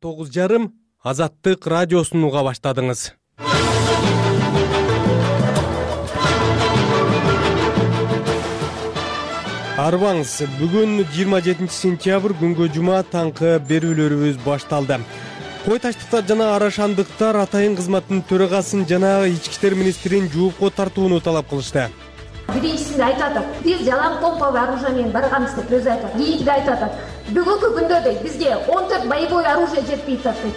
9:30 Азаттык радиосун уга баштадыңыз. Арбаңыз, бүгүн 27 сентябрь күнгө жума таңкы берүүлөрүбүз башталды. Кой таштыктар жана арашандыктар атайын кызматтын төрагасын жана ички иштер министрин жоопко тартууну талап кылышты. Биринчисинде айтып атат, биз жалаң помповый оружие менен барганбыз деп өзү айтат. Кийинкиде айтып атат, бүгүнкү күндө дейт бизге 14 боевой оружие жетпей атат дейт.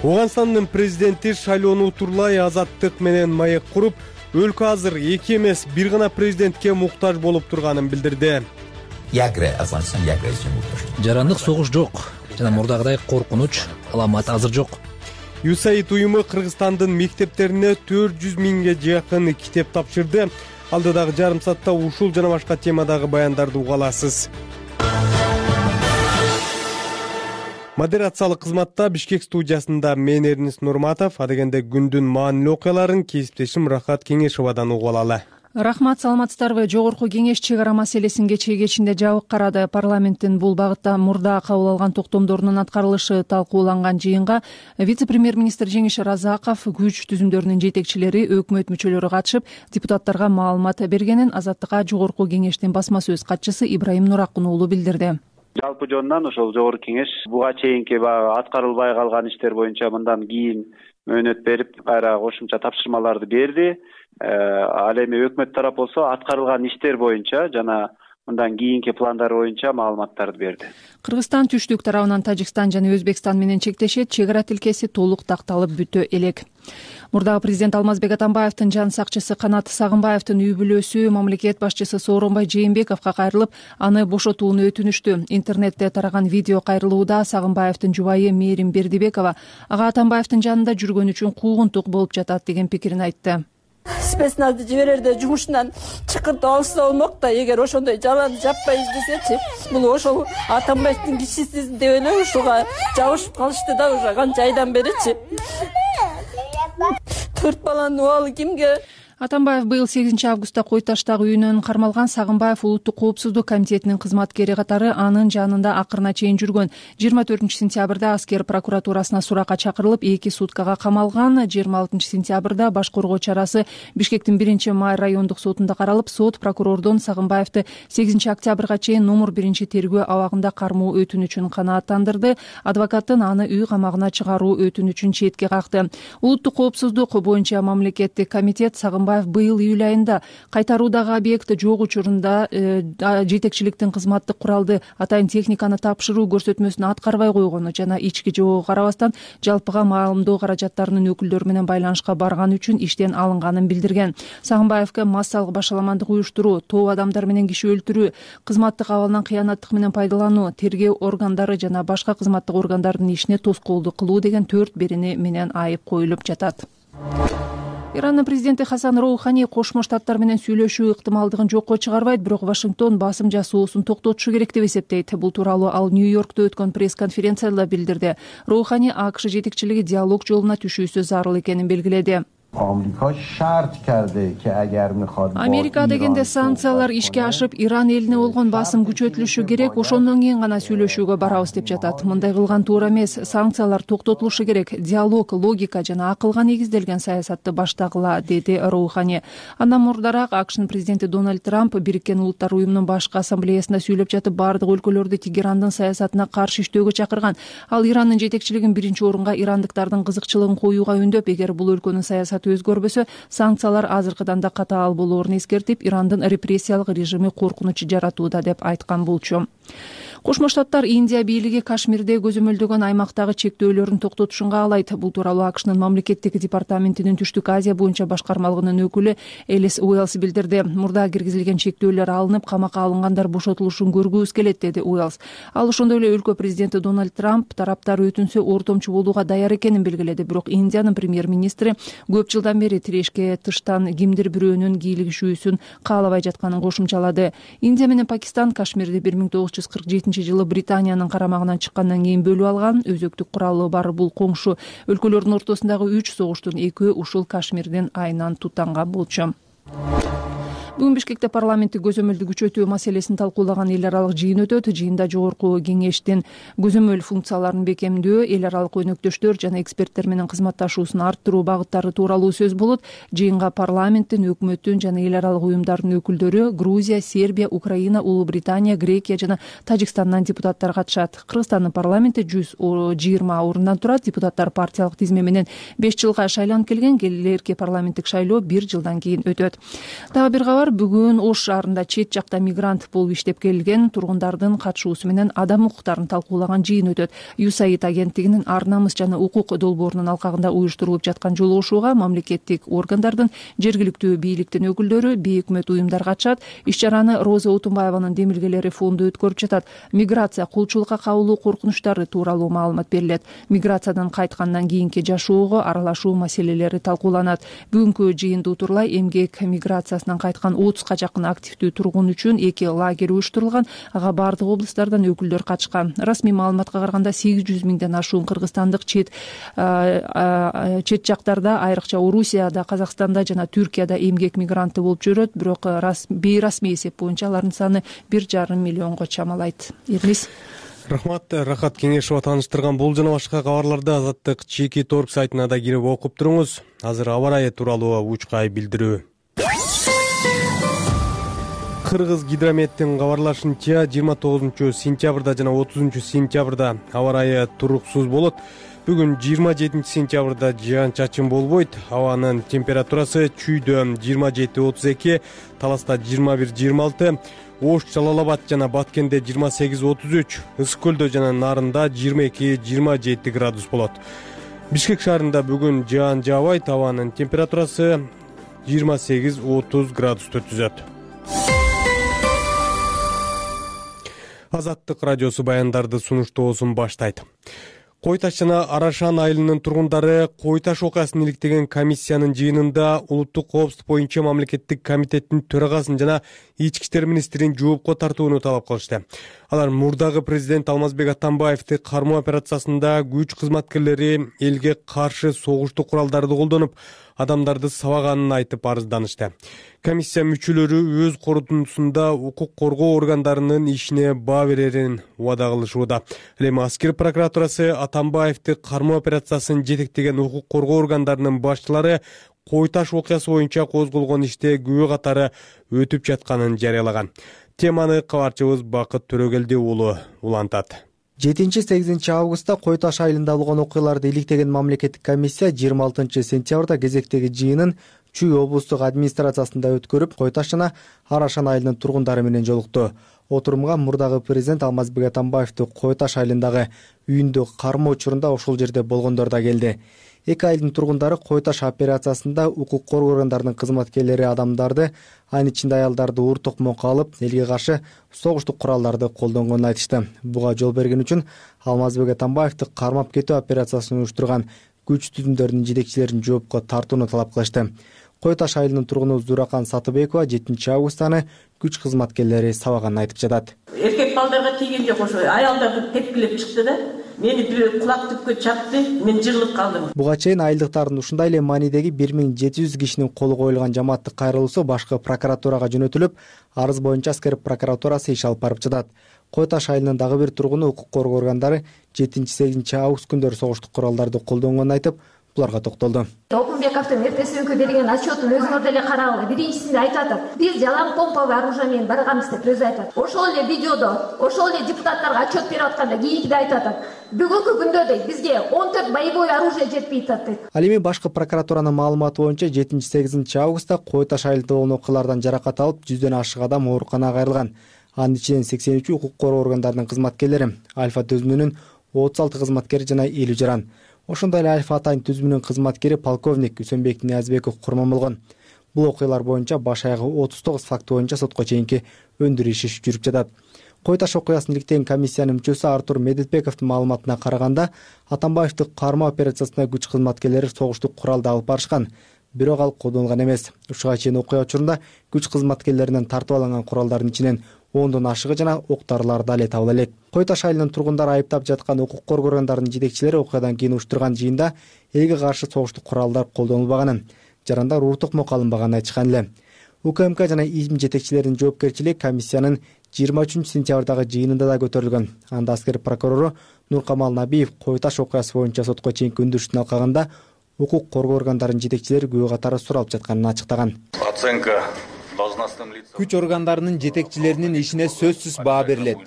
Ооганстандын президенти Шайлоону Турлай Азаттык менен маек куруп, өлкө азыр эки эмес, бир гана президентке муктаж болуп турганын билдирди. Жарандык согуш жок жана мурдагыдай коркунуч, аламат азыр жок. USAID уюму Кыргызстандын мектептерине 400 миңге жакын китеп тапшырды. Алдыдагы жарым саатта ушул жана башка темадагы баяндарды уга аласыз. Модерациялык кызматта Бишкек студиясында мен Эрнис Нурматов, адегенде күндүн маанилүү окуяларын кесиптешим Рахат Кеңешовадан угуп алалы. Рахмат, саламатсыздарбы? Жогорку кеңеш чек ара маселесин кечээ жабык карады. Парламенттин бул багытта мурда кабыл алган токтомдорунун аткарылышы талкууланган жыйынга вице-премьер-министр Жеңиш Разаков, күч түзүмдөрүнүн жетекчилери, өкмөт мүчөлөрү катышып, депутаттарга маалымат бергенин Азаттыкка жогорку кеңештин басма сөз катчысы Ибраим Нуракун уулу билдирди. Жалпы жонунан ошол жогорку кеңеш буга чейинки аткарылбай калган иштер боюнча мындан кийин мөөнөт берип, кайра кошумча тапшырмаларды берди. Ал эми өкмөт тарап болсо аткарылган иштер боюнча жана мындан кийинки пландар боюнча маалыматтарды берди. Кыргызстан түштүк тарабынан Тажикстан жана Өзбекстан менен чектешет, чек ара тилкеси толук такталып бүтө элек. Мурдагы президент Алмазбек Атамбаевдин жан сакчысы Канат Сагынбаевдин үй бүлөсү мамлекет башчысы Сооронбай Жээнбековго кайрылып, аны бошотууну өтүнүштү. Интернетте тараган видео кайрылууда Сагынбаевдин жубайы Мээрим Бердибекова ага Атамбаевдин жанында жүргөн үчүн куугунтук болуп жатат деген пикирин айтты. Спецназды жиберерде жумушунан чыкыртып алса болмок да, эгер ошондой жаланы жаппай издесечи, бул ошол Атамбаевдин кишиси деп эле ушуга жабышып калышты да, уже канча айдан беричи. 4 баланын убалы кимге? Атамбаев быйыл 8 августта Кой таштагы үйүнөн кармалган. Сагынбаев Улуттук коопсуздук комитетинин кызматкери катары анын жанында акырына чейин жүргөн. 24 сентябрда аскер прокуратурасына суракка чакырылып, 2 суткага камалган. 26 сентябрда баш коргоо чарасы Бишкектин 1-май райондук сотунда каралып, сот прокурордон Сагынбаевди 8 октябрга чейин номер 1-тергөө абагында кармоо өтүнүчүн канааттандырды. Адвокаттын аны үй камагына чыгаруу өтүнүчүн четке какты. Улуттук коопсуздук боюнча мамлекеттик комитет Сагынбаев быйыл июль айында кайтаруудагы объект жок учурунда жетекчиликтин кызматтык куралды, атайын техниканы тапшыруу көрсөтмөсүн аткарбай койгону жана ички жоого карабастан жалпыга маалымдоо каражаттарынын өкүлдөрү менен байланышка барган үчүн иштен алынганын билдирген. Сагынбаевге массалык башаламандык уюштуруу, топ адамдар менен киши өлтүрүү, кызматтык абалынан кыянаттык менен пайдалануу, тергөө органдары жана башка кызматтык органдардын ишине тоскоолдук кылуу деген 4 берени менен айып коюлуп жатат. Ирандын президенти Хасан Роухани Кошмо Штаттар менен сүйлөшүү ыктымалдыгын жокко чыгарбайт, бирок Вашингтон басым жасоосун токтотушу керек деп эсептейт. Бул тууралуу ал Нью-Йоркто өткөн пресс-конференцияда билдирди. Роухани АКШ жетекчилиги диалог жолуна түшүүсү зарыл экенин белгиледи. Америка дегенде санкциялар ишке ашып, Иран элине болгон басым күчөтүлүшү керек, ошондон кийин гана сүйлөшүүгө барабыз деп жатат. Мындай кылган туура эмес, санкциялар токтотулушу керек, диалог, логика жана акылга негизделген саясатты баштагыла, деди Роухани. Андан мурдараак АКШнын президенти Дональд Трамп Бириккен Улуттар уюмунун башкы ассамблеясында сүйлөп жатып, бардык өлкөлөрдү Тегерандын саясатына каршы иштөөгө чакырган. Ал Ирандын жетекчилигин 1-орунга ирандыктардын кызыкчылыгын коюуга үндөп, эгер бул өлкөнүн саясаты өзгөрбөсө, санкциялар азыркыдан да катаал болоорун эскертип, Ирандын репрессиялык режими коркунуч жаратууда деп айткан болчу. Кошмо Штаттар Индия бийлиги Кашмирде көзөмөлдөгөн аймактагы чектөөлөрүн токтотушун каалайт. Бул тууралуу АКШнын мамлекеттик департаментинин Түштүк Азия боюнча башкармалыгынын өкүлү Элис Уэллс билдирди. Мурда киргизилген чектөөлөр алынып, камакка алынгандар бошотулушун көргүбүз келет, деди Уэллс. Ал ошондой эле өлкө президенти Дональд Трамп тараптар өтүнсө ортомчу болууга даяр экенин белгиледи. Бирок Индиянын премьер-министри көп жылдан бери тирешке тыштан кимдир бирөөнүн кийлигишүүсүн каалабай жатканын кошумчалады. Индия менен Пакистан Кашмирди 1947 жылы Британиянын карамагынан чыккандан кийин бөлүп алган. Өзөктүк куралы бар бул коңшу өлкөлөрдүн ортосундагы 3 согуштун экөө ушул Кашмирдин айынан тутанган болчу. Бүгүн Бишкекте парламенттик көзөмөлдү күчөтүү маселесин талкуулаган эл аралык жыйын өтөт. Жыйында жогорку кеңештин көзөмөл функцияларын бекемдөө, эл аралык өнөктөштөр жана эксперттер менен кызматташуусун арттыруу багыттары тууралуу сөз болот. Жыйынга парламенттин, өкмөттүн жана эл аралык уюмдардын өкүлдөрү, Грузия, Сербия, Украина, Улуу Британия, Грекия жана Тажикстандан депутаттар катышат. Кыргызстандын парламенти 120 орундан турат. Депутаттар партиялык тизме менен 5 жылга шайланып келген. Келерки парламенттик шайлоо 1 жылдан кийин өтөт. Дагы бир кабар, бүгүн Ош шаарында чет жакта мигрант болуп иштеп келген тургундардын катышуусу менен адам укуктарын талкуулаган жыйын өтөт. USAID агенттигинин Ар намыс жана укук долбоорунун алкагында уюштурулуп жаткан жолугушууга мамлекеттик органдардын, жергиликтүү бийликтин өкүлдөрү, бейөкмөт уюмдар катышат. Иш-чараны Роза Утунбаеванын демилгелери фонду өткөрүп жатат. Миграция, кулчулукка кабылуу коркунучтары тууралуу маалымат берилет. Миграциядан кайткандан кийинки жашоого аралашуу маселелери талкууланат. Бүгүнкү жыйынды утурлай эмгек миграциясынан кайткан 30га жакын активдүү тургун үчүн 2 лагерь уюштурулган. Ага бардык облустардан өкүлдөр катышкан. Расмий маалыматка караганда 800 миңден ашуун кыргызстандык чет жактарда, айрыкча Орусияда, Казакстанда жана Түркияда эмгек мигранты болуп жүрөт. Бирок бейрасмий эсеп боюнча алардын саны 1,5 миллионго чамалайт. Эрмис. Рахмат, Рахат Кеңешова тааныштырган бул жана башка кабарларды Азаттык чеки торг сайтына да кирип окуп туруңуз. Азыр аба ырайы тууралуу учкай билдирүү. Кыргыз гидрометтин кабарлашынча 29 сентябрда жана 30 сентябрда аба ырайы туруксуз болот. Бүгүн 27 сентябрда жаан-чачын болбойт. Абанын температурасы Чүйдө 27-32, Таласта 21-26, Ош, Жалал-Абад жана Баткенде 28-33, Ысык көлдө жана Нарында 22-27 градус болот. Бишкек шаарында бүгүн жаан жаабайт. Абанын температурасы 28-30 градусту түзөт. Азаттык радиосу баяндарды сунуштоосун баштайт. Кой Таш жана Арашан айылынын тургундары Кой Таш окуясын иликтеген комиссиянын жыйынында улуттук коопсуздук боюнча мамлекеттик комитеттин төрагасын жана ички иштер министрин жоопко тартууну талап кылышты. Алар мурдагы президент Алмазбек Атамбаевди кармоо операциясында күч кызматкерлери элге каршы согуштук куралдарды колдонуп, адамдарды сабаганын айтып арызданышты. Комиссия мүчөлөрү өз корутундусунда укук коргоо органдарынын ишине баа берерин убада кылышууда. Эми аскер прокуратурасы Атамбаевди кармоо операциясын жетектеген укук коргоо органдарынын башчылары Кой Таш окуясы боюнча козголгон иште күбө катары өтүп жатканын жарыялаган. Теманы кабарчыбыз Бакыт Төрөгелди уулу улантат. 7-8 августта Кой Таш айылында болгон окуяларды иликтеген мамлекеттик комиссия 26 сентябрда кезектеги жыйынын Чүй облустук администрациясында өткөрүп, Кой Таш жана Арашан айылынын тургундары менен жолукту. Отурумга мурдагы президент Алмазбек Атамбаевди Кой Таш айылындагы үйүндө кармоо учурунда ошол жерде болгондор да келди. Эки айылдын тургундары Кой Таш операциясында укук коргоо органдарынын кызматкерлери адамдарды, анын ичинде аялдарды уур токмокко алып, элге каршы согуштук куралдарды колдонгонун айтышты. Буга жол берген үчүн Алмазбек Атамбаевди кармап кетүү операциясын уюштурган күч түзүмдөрдүн жетекчилерин жоопко тартууну талап кылышты. Кой Таш айылынын тургуну Зуракан Сатыбекова 7 августаны күч кызматкерлери сабаганын айтып жатат. Эркек балдарга тийген жок, ошо аялдарды тепкилеп чыкты да. Мени бир кулак түпкө чапты, мен жырылып калдым. Буга чейин айылдыктардын ушундай эле маанидеги 1700 кишинин колу коюлган жамааттык кайрылуусу башкы прокуратурага жөнөтүлүп, арыз боюнча аскер прокуратурасы иш алып барып жатат. Кой Таш айылынын дагы бир тургуну укук коргоо органдары 7-8 август күндөрү согуштук куралдарды колдонгонун айтып, буларга токтолду. Окунбековдун РТСМК берген отчетун өзүңөр деле карагыла. Биринчисинде айтып атат, биз жалаң помповый оружие менен барганбыз деп өзү айтат. Ошол эле видеодо, ошол эле депутаттарга отчет берип атканда кийинкиде айтып атат. Бүгүнкү күндө дейт, бизге 14 боевой оружие жетпей атат дейт. Ал эми башкы прокуратуранын маалыматы боюнча 7-8 августта Кой Таш айылында болгон окуялардан жаракат алып, 100дөн ашык адам ооруканага кайрылган. Анын ичинен 83 укук коргоо органдарынын кызматкерлери, Альфа түзүмүнүн 36 кызматкери жана 50 жаран. Ошондой эле Альфа Атайын түзүмүнүн кызматкери полковник Үсөнбек Ниязбеков курман болгон. Бул окуялар боюнча баш аягы 39 факты боюнча сотко чейинки өндүрүш иши жүрүп жатат. Кой Таш окуясын иликтеген комиссиянын мүчөсү Артур Медетбековдун маалыматына караганда, Атамбаевди кармоо операциясына күч кызматкерлери согуштук куралды алып барышкан. Бирок ал колдонулган эмес. Ушуга чейин окуя учурунда күч кызматкерлеринен тартып алынган куралдардын ичинен 10дон ашыгы жана ок-дарылар да эле табыла элек. Кой Таш айылынын тургундары айыптап жаткан укук коргоо органдарынын жетекчилери окуядан кийин уюштурган жыйында элге каршы согуштук куралдар колдонулбаганын, жарандар уур токмокко алынбаганын айтышкан эле. УКМК жана ИИМ жетекчилеринин жоопкерчилиги комиссиянын 23-сентябрдагы жыйынында да көтөрүлгөн. Анда аскер прокурору Нуркамал Набиев Кой Таш окуясы боюнча сотко чейинки өндүрүштүн алкагында укук коргоо органдарынын жетекчилери күбө катары суралып жатканын ачыктаган. Оценка күч органдарынын жетекчилеринин ишине сөзсүз баа берилет.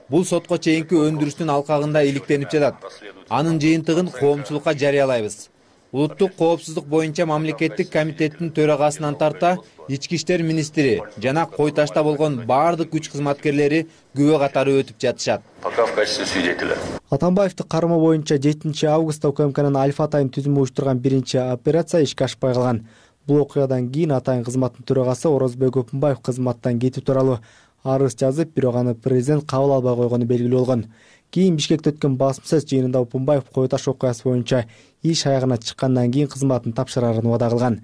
Бул сотко чейинки өндүрүштүн алкагында иликтенип жатат. Анын жыйынтыгын коомчулукка жарыялайбыз. Улуттук коопсуздук боюнча мамлекеттик комитеттин төрагасынан тарта ички иштер министри жана Кой Ташта болгон баардык күч кызматкерлери күбө катары өтүп жатышат. Пока в качестве свидетеля. Атамбаевди кармоо боюнча 7-августта УКМКнын Альфа Атайын түзүмү уюштурган биринчи операция ишке ашпай калган. Бул окуядан кийин Атайын кызматтын төрагасы Орозбек Өпүнбаев кызматтан кетүү тууралуу арыз жазып, бирок аны президент кабыл албай койгону белгилүү болгон. Кийин Бишкекте өткөн басма сөз жыйынында Өпүнбаев Кой Таш окуясы боюнча иш аягына чыккандан кийин кызматын тапшырарын убада кылган.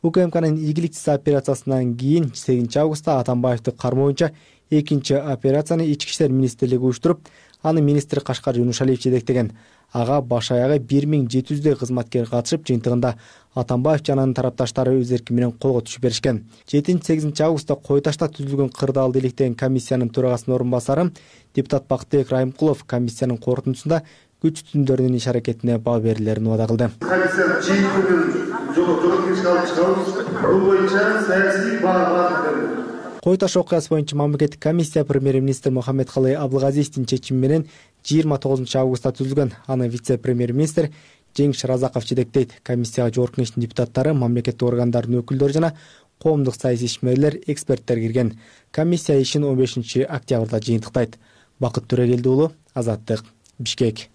УКМКнын ийгиликсиз операциясынан кийин 8-августта Атамбаевди кармоо боюнча экинчи операцияны ички иштер министрлиги уюштуруп, аны министр Кашкар Юнушалиев жетектеген. Ага баш аягы 1700 кызматкер катышып, жыйынтыгында Атамбаев жана анын тарапташтары өз эрки менен колго түшүп беришкен. 7-8 августта Кой Ташта түзүлгөн кырдаалды иликтеген комиссиянын төрагасынын орун басары депутат Бактыбек Райымкулов комиссиянын корутундусунда күч түзүмдөрүнүн иш аракетине баа берилерин убада кылды. Комиссия Кой Таш окуясы боюнча мамлекеттик комиссия премьер-министр Мухаммедкалый Абылгазиевдин чечими менен 29-августта түзүлгөн. Аны вице-премьер-министр Жеңиш Разаков жетектейт. Комиссияга жогорку кеңештин депутаттары, мамлекеттик органдардын өкүлдөрү жана коомдук саясий ишмерлер, эксперттер кирген. Комиссия ишин 15-октябрда жыйынтыктайт. Бакыт Төрөгелди уулу, Азаттык, Бишкек.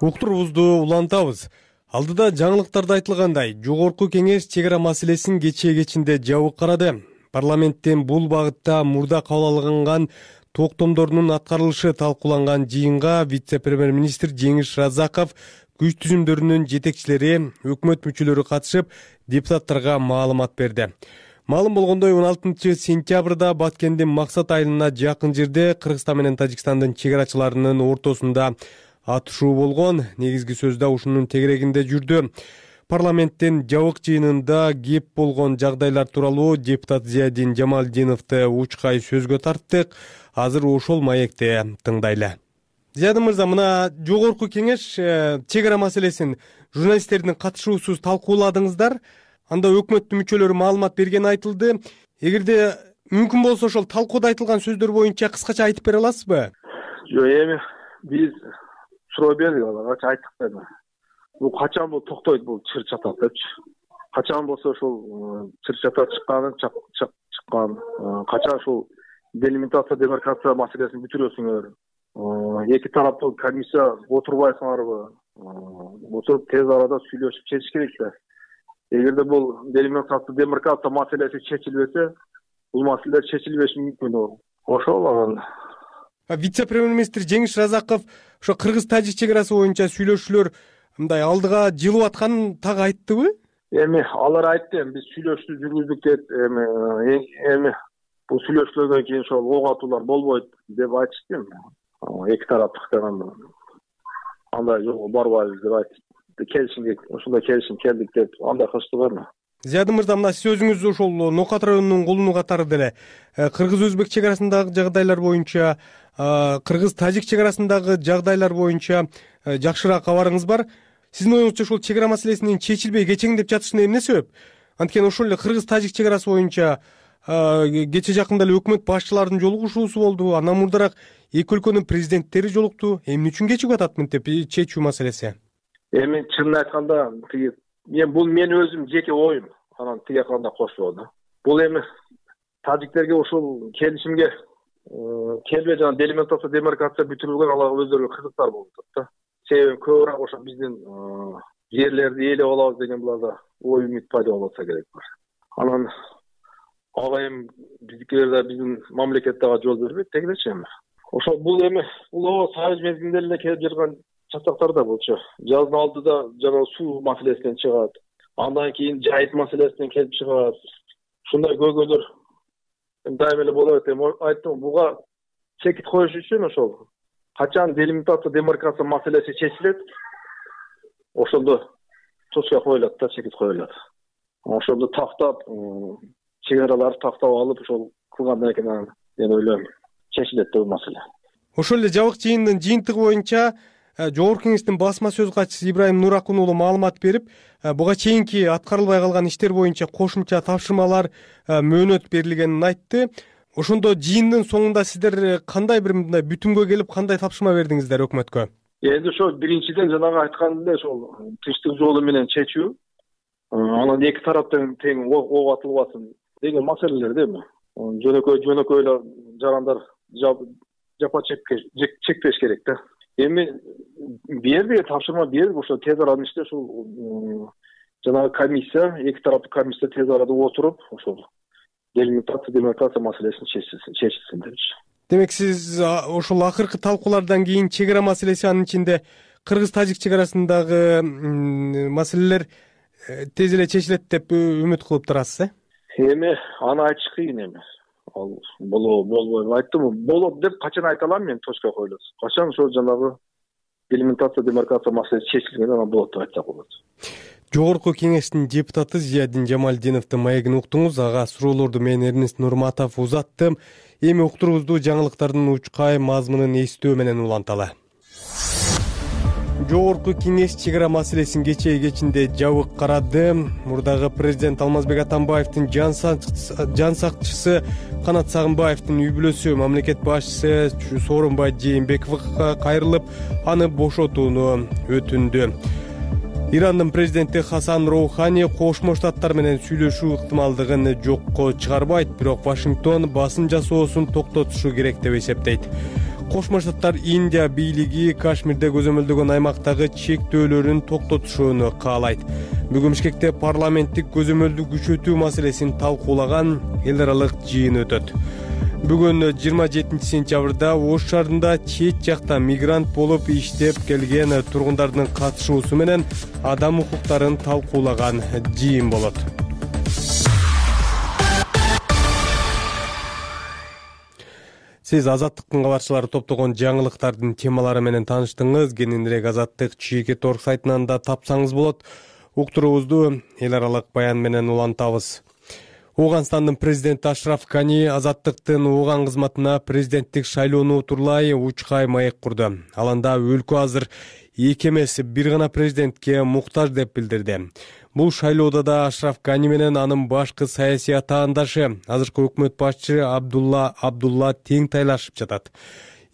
Уктурубузду улантабыз. Алдыда жаңылыктарда айтылгандай, жогорку кеңеш чек ара маселесин кечинде жабык карады. Парламенттен бул багытта мурда кабыл алынган токтомдордун аткарылышы талкууланган жыйынга вице-премьер-министр Жеңиш Разаков, күч түзүмдөрүнүн жетекчилери, өкмөт мүчөлөрү катышып, депутаттарга маалымат берди. Маалым болгондой 16-сентябрда Баткендин Максат айылына жакын жерде Кыргызстан менен Тажикстандын чек арачыларынын ортосунда атышуу болгон. Негизги сөз да ушунун тегерегинде жүрдү. Парламенттин жабык жыйынында кеп болгон жагдайлар тууралуу депутат Зиядин Жамалдиновду учкай сөзгө тарттык. Азыр ошол маекти тыңдайлы. Зиядин мырза, мына жогорку кеңеш чек ара маселесин журналисттердин катышуусуз талкууладыңыздар. Анда өкмөттүн мүчөлөрү маалымат бергени айтылды. Эгерде мүмкүн болсо ошол талкууда айтылган сөздөр боюнча кыскача айтып бере аласызбы? Жок, эми биз суроо бердик, аларга айттык да. Бул качан бул токтойт, бул чыр чатак депчи. Качан болсо ошол чыр чатак чыккан, качан ушул делимитация, демаркация маселесин бүтүрөсүңөр. Эки тараптуу комиссия отурбайсыңарбы? Отуруп тез арада сүйлөшүп чечиш керек да. Эгерде бул делимитация, демаркация маселеси чечилбесе, бул маселе чечилбеши мүмкүн. Ошол анан вице-премьер-министр Жеңиш Разаков ошо Кыргыз-Тажик чек арасы боюнча сүйлөшүүлөр мындай алдыга жылып атканын так айттыбы? Эми алар айтты, биз сүйлөшүү жүргүздүк деп, эми бул сүйлөшүүлөрдөн кийин ошол ок атуулар болбойт деп айтышты. Эки тараптыктан андай жолго барбайбыз деп айтты. Келишимге ошондой келишим келдик деп андай кылыштыбы? Зиядин мырза, мына сиз өзүңүз ошол Нокат районунун кулуну катары деле Кыргыз-Өзбек чек арасындагы жагдайлар боюнча, Кыргыз-Тажик чек арасындагы жагдайлар боюнча жакшыраак кабарыңыз бар. Сиздин оюңузча ошол чек ара маселесинин чечилбей кечеңдеп жатышына эмне себеп? Анткени ошол эле Кыргыз-Тажик чек арасы боюнча кече жакында эле өкмөт башчыларынын жолугушуусу болду. Андан мурдараак эки өлкөнүн президенттери жолукту. Эмне үчүн кечигип атат мынтип чечүү маселеси? Эми чынын айтканда, бул мен өзүм жеке оюм. Анан тиги кандай кошулду. Бул эми тажиктерге ушул келишимге келбей жана делимитация, демаркация бүтүрүлгөн, аларга өздөрүгө кызыктар болуп атат да. Себеби көбүрөөк ошо биздин жерлерди ээлеп алабыз деген буларда ой үмүт пайда болуп атса керек бар. Анан ага эми биздикилер да биздин мамлекетте жол бербейт дегилечи эми. Ошо бул эми улуу союз мезгилинде эле келип жүргөн чатактар да болчу. Жаздын алдыда жана суу маселесинен чыгат. Андан кийин жайыт маселесинен келип чыгат. Ушундай көйгөйлөр дайыма эле болот. Айттым, буга чекит коюш үчүн ошол качан делимитация демаркация маселеси чечилет, ошондо точка коюлат да, чекит коюлат. Ошондо тактап, чек араларды тактап алып, ошол кылгандан кийин мен ойлойм чечилет да бул маселе. Ошол эле жабык жыйындын жыйынтыгы боюнча Жогорку Кеңештин басма сөз катчысы Ибраим Нуракун уулу маалымат берип, буга чейинки аткарылбай калган иштер боюнча кошумча тапшырмалар мөөнөт берилгенин айтты. Ошондо жыйындын соңунда сиздер кандай бир мындай бүтүмгө келип, кандай тапшырма бердиңиздер өкмөткө? Эми ошо биринчиден жанагы айткандай ошол тынчтык жолу менен чечүү, анан эки тараптан тең ок атылбасын деген маселелер да эми. Жөнөкөй эле жарандар жапа чекпеш керек да. Эми берди, тапшырма берди, ошо тез арада иште ушул жанагы комиссия, эки тараптуу комиссия тез арада отуруп, ошол демаркация маселесин чечилсин депчи. Демек сиз ошол акыркы талкуулардан кийин чек ара маселеси, анын ичинде кыргыз-тажик чек арасындагы маселелер тез эле чечилет деп үмүт кылып турасыз, Эми аны айтыш кыйын эми. Ал болбойбу айттым, болот деп качан айта алам мен, точка коюлат. Качан ошо жанагы делимитация демаркация маселеси чечилген, анан болот деп айтсак болот. Жогорку Кеңештин депутаты Зиядин Жамалдиновдун маегин уктуңуз. Ага суроолорду мен Эрнест Нурматов узаттым. Эми уктурубузду жаңылыктардын учкай мазмунун эстөө менен уланталы. Жогорку Кеңеш чек ара маселесин кечинде жабык карады. Мурдагы президент Алмазбек Атамбаевдин жан сакчысы Канат Сагынбаевдин үй бүлөсү мамлекет башчысы Сооронбай Жээнбековго кайрылып, аны бошотууну өтүндү. Ирандын президенти Хасан Роухани Кошмо Штаттар менен сүйлөшүү ыктымалдыгын жокко чыгарбайт, бирок Вашингтон басым жасоосун токтотушу керек деп эсептейт. Кошмо Штаттар Индия бийлиги Кашмирде көзөмөлдөгөн аймактагы чектөөлөрүн токтотушууну каалайт. Бүгүн Бишкекте парламенттик көзөмөлдү күчөтүү маселесин талкуулаган эл аралык жыйын өтөт. Бүгүн 27 сентябрда Ош шаарында чет жакта мигрант болуп иштеп келген тургундардын катышуусу менен адам укуктарын талкуулаган жыйын болот. Сиз Азаттыктын кабарчылары топтогон жаңылыктардын темалары менен тааныштыңыз. Кененирээк Азаттык Чекит.org сайтынан да тапсаңыз болот. Уктурубузду эл аралык баян менен улантабыз. Ооганстандын президенти Ашраф Гани Азаттыктын Ооган кызматына президенттик шайлоону утурлай учкай маек курду. Ал анда өлкө азыр эки эмес, бир гана президентке муктаж деп билдирди. Бул шайлоодо да Ашраф Гани менен анын башкы саясий атаандашы, азыркы өкмөт башчысы Абдулла тең тайлашып жатат.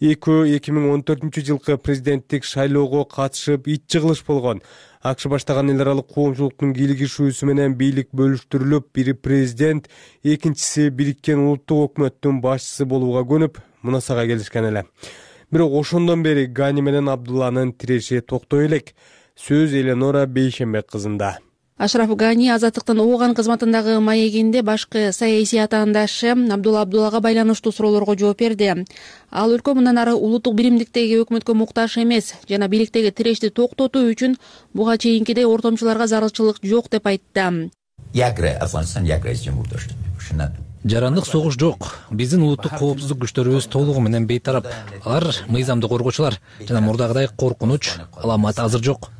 2014 жылкы президенттик шайлоого катышып ит жыгылыш болгон. АКШ баштаган эл аралык коомчулуктун кийлигишүүсү менен бийлик бөлүштүрүлүп, бири президент, экинчиси бириккен улуттук өкмөттүн башчысы болууга көнүп, мунасага келишкен эле. Бирок ошондон бери Гани менен Абдулланын тиреши токтой элек. Сөз Эленора Бейшембек кызында. Ашраф Гани Азаттыктын Ооган кызматындагы маегинде башкы саясий атаандашы Абдуллага байланыштуу суроолорго жооп берди. Ал өлкө мындан ары улуттук биримдиктеги өкмөткө муктаж эмес жана бийликтеги тирешти токтотуу үчүн буга чейинкидей ортомчуларга зарылчылык жок деп айтты. Жарандык согуш жок. Биздин улуттук коопсуздук күчтөрүбүз толугу менен бейтарап. Алар мыйзамды коргоочулар жана мурдагыдай коркунуч, аламат азыр жок.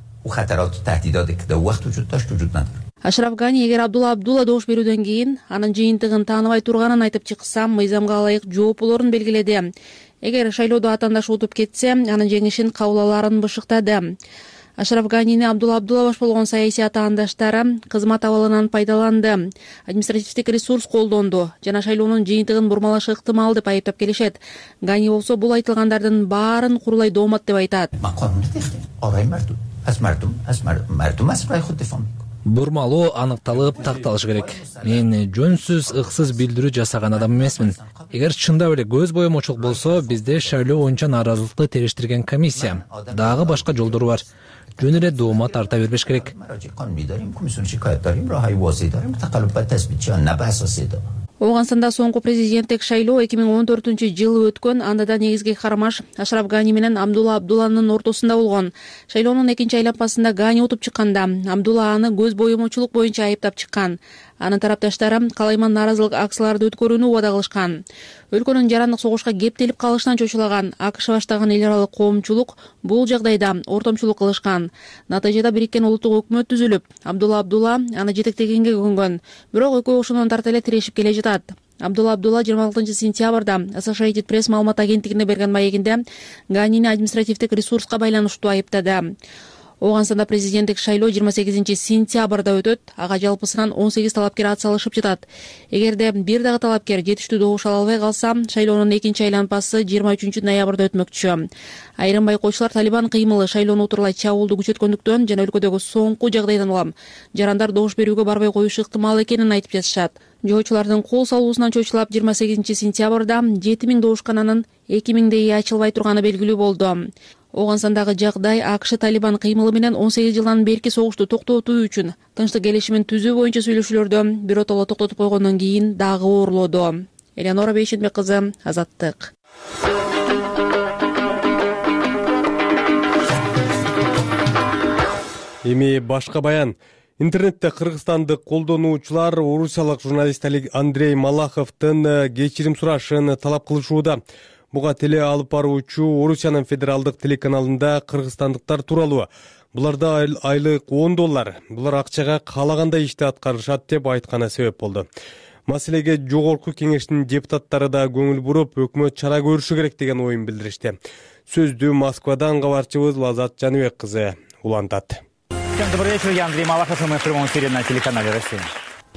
Ашраф Гани эгер Абдулла добуш берүүдөн кийин анын жыйынтыгын тааныбай турганын айтып чыкса, мыйзамга ылайык жооп болорун белгиледи. Эгер шайлоодо атаандашы утуп кетсе, анын жеңишин кабыл алаарын бышыктады. Ашраф Ганини Абдулла баш болгон саясий атаандаштары кызмат абалынан пайдаланды, административдик ресурс колдонду жана шайлоонун жыйынтыгын бурмалашы ыктымал деп айыптап келишет. Гани болсо бул айтылгандардын баарын курулай доомат деп айтат. Бурмалоо аныкталып, такталышы керек. Мен жөнсүз, ыксыз билдирүү жасаган адам эмесмин. Эгер чындап эле көз боемочулук болсо, бизде шайлоо боюнча нааразылыкты териштирген комиссия. Дагы башка жолдору бар. Жөн эле доомат арта бербеш керек. Ооганстанда соңку президенттик шайлоо 2014-жылы өткөн. Анда да негизги кармаш Ашраф Гани менен Абдулланын ортосунда болгон. Шайлоонун экинчи айланмасында Гани утуп чыкканда, Абдулла аны көз боемочулук боюнча айыптап чыккан. Анын тарапташтары калайман нааразылык акцияларды өткөрүүнү убада кылышкан. Өлкөнүн жарандык согушка кептелип калышынан чочулаган АКШ баштаган эл аралык коомчулук бул жагдайда ортомчулук кылышкан. Натыйжада Бириккен улуттук өкмөт түзүлүп, Абдулла Абдулла аны жетектегенге көнгөн. Бирок экөө ошондон тарта эле тирешип келе жатат. Абдулла Абдулла 26-сентябрда Associated Press маалымат агенттигине берген маегинде Ганини административдик ресурска байланыштуу айыптады. Ооганстанда президенттик шайлоо 28-сентябрда өтөт. Ага жалпысынан 18 талапкер атсалышып жатат. Эгерде бир дагы талапкер жетиштүү добуш ала албай калса, шайлоонун экинчи айланпасы 23-ноябрда өтмөкчү. Айрым байкоочулар Талибан кыймылы шайлоону утурлай чабуулду күчөткөндүктөн жана өлкөдөгү соңку жагдайдан улам жарандар добуш берүүгө барбай коюшу ыктымал экенин айтып жатышат. Жоочулардын кол салуусунан чочулап 28-сентябрда 7000 добушкананын 2000дейи ачылбай турганы белгилүү болду. Ооганстандагы жагдай АКШ Талибан кыймылы менен 18 жылдан берки согушту токтотуу үчүн тынчтык келишимин түзүү боюнча сүйлөшүүлөрдү биротоло токтотуп койгондон кийин дагы оорлоду. Элеонора Бейшенбек кызы, Азаттык. Эми башка баян. Интернетте кыргызстандык колдонуучулар орусиялык журналист Андрей Малаховдун кечирим сурашын талап кылышууда. Буга теле алып баруучу Орусиянын федералдык телеканалында кыргызстандыктар тууралуу. Буларда айлык $10. Булар акчага каалагандай ишти аткарышат деп айтканы себеп болду. Маселеге жогорку кеңештин депутаттары да көңүл буруп, өкмөт чара көрүшү керек деген оюн билдиришти. Сөздү Москвадан кабарчыбыз Лазат Жаныбек кызы улантат. Всем добрый вечер, я Андрей Малахов, и мы в прямом эфире на телеканале «Россия».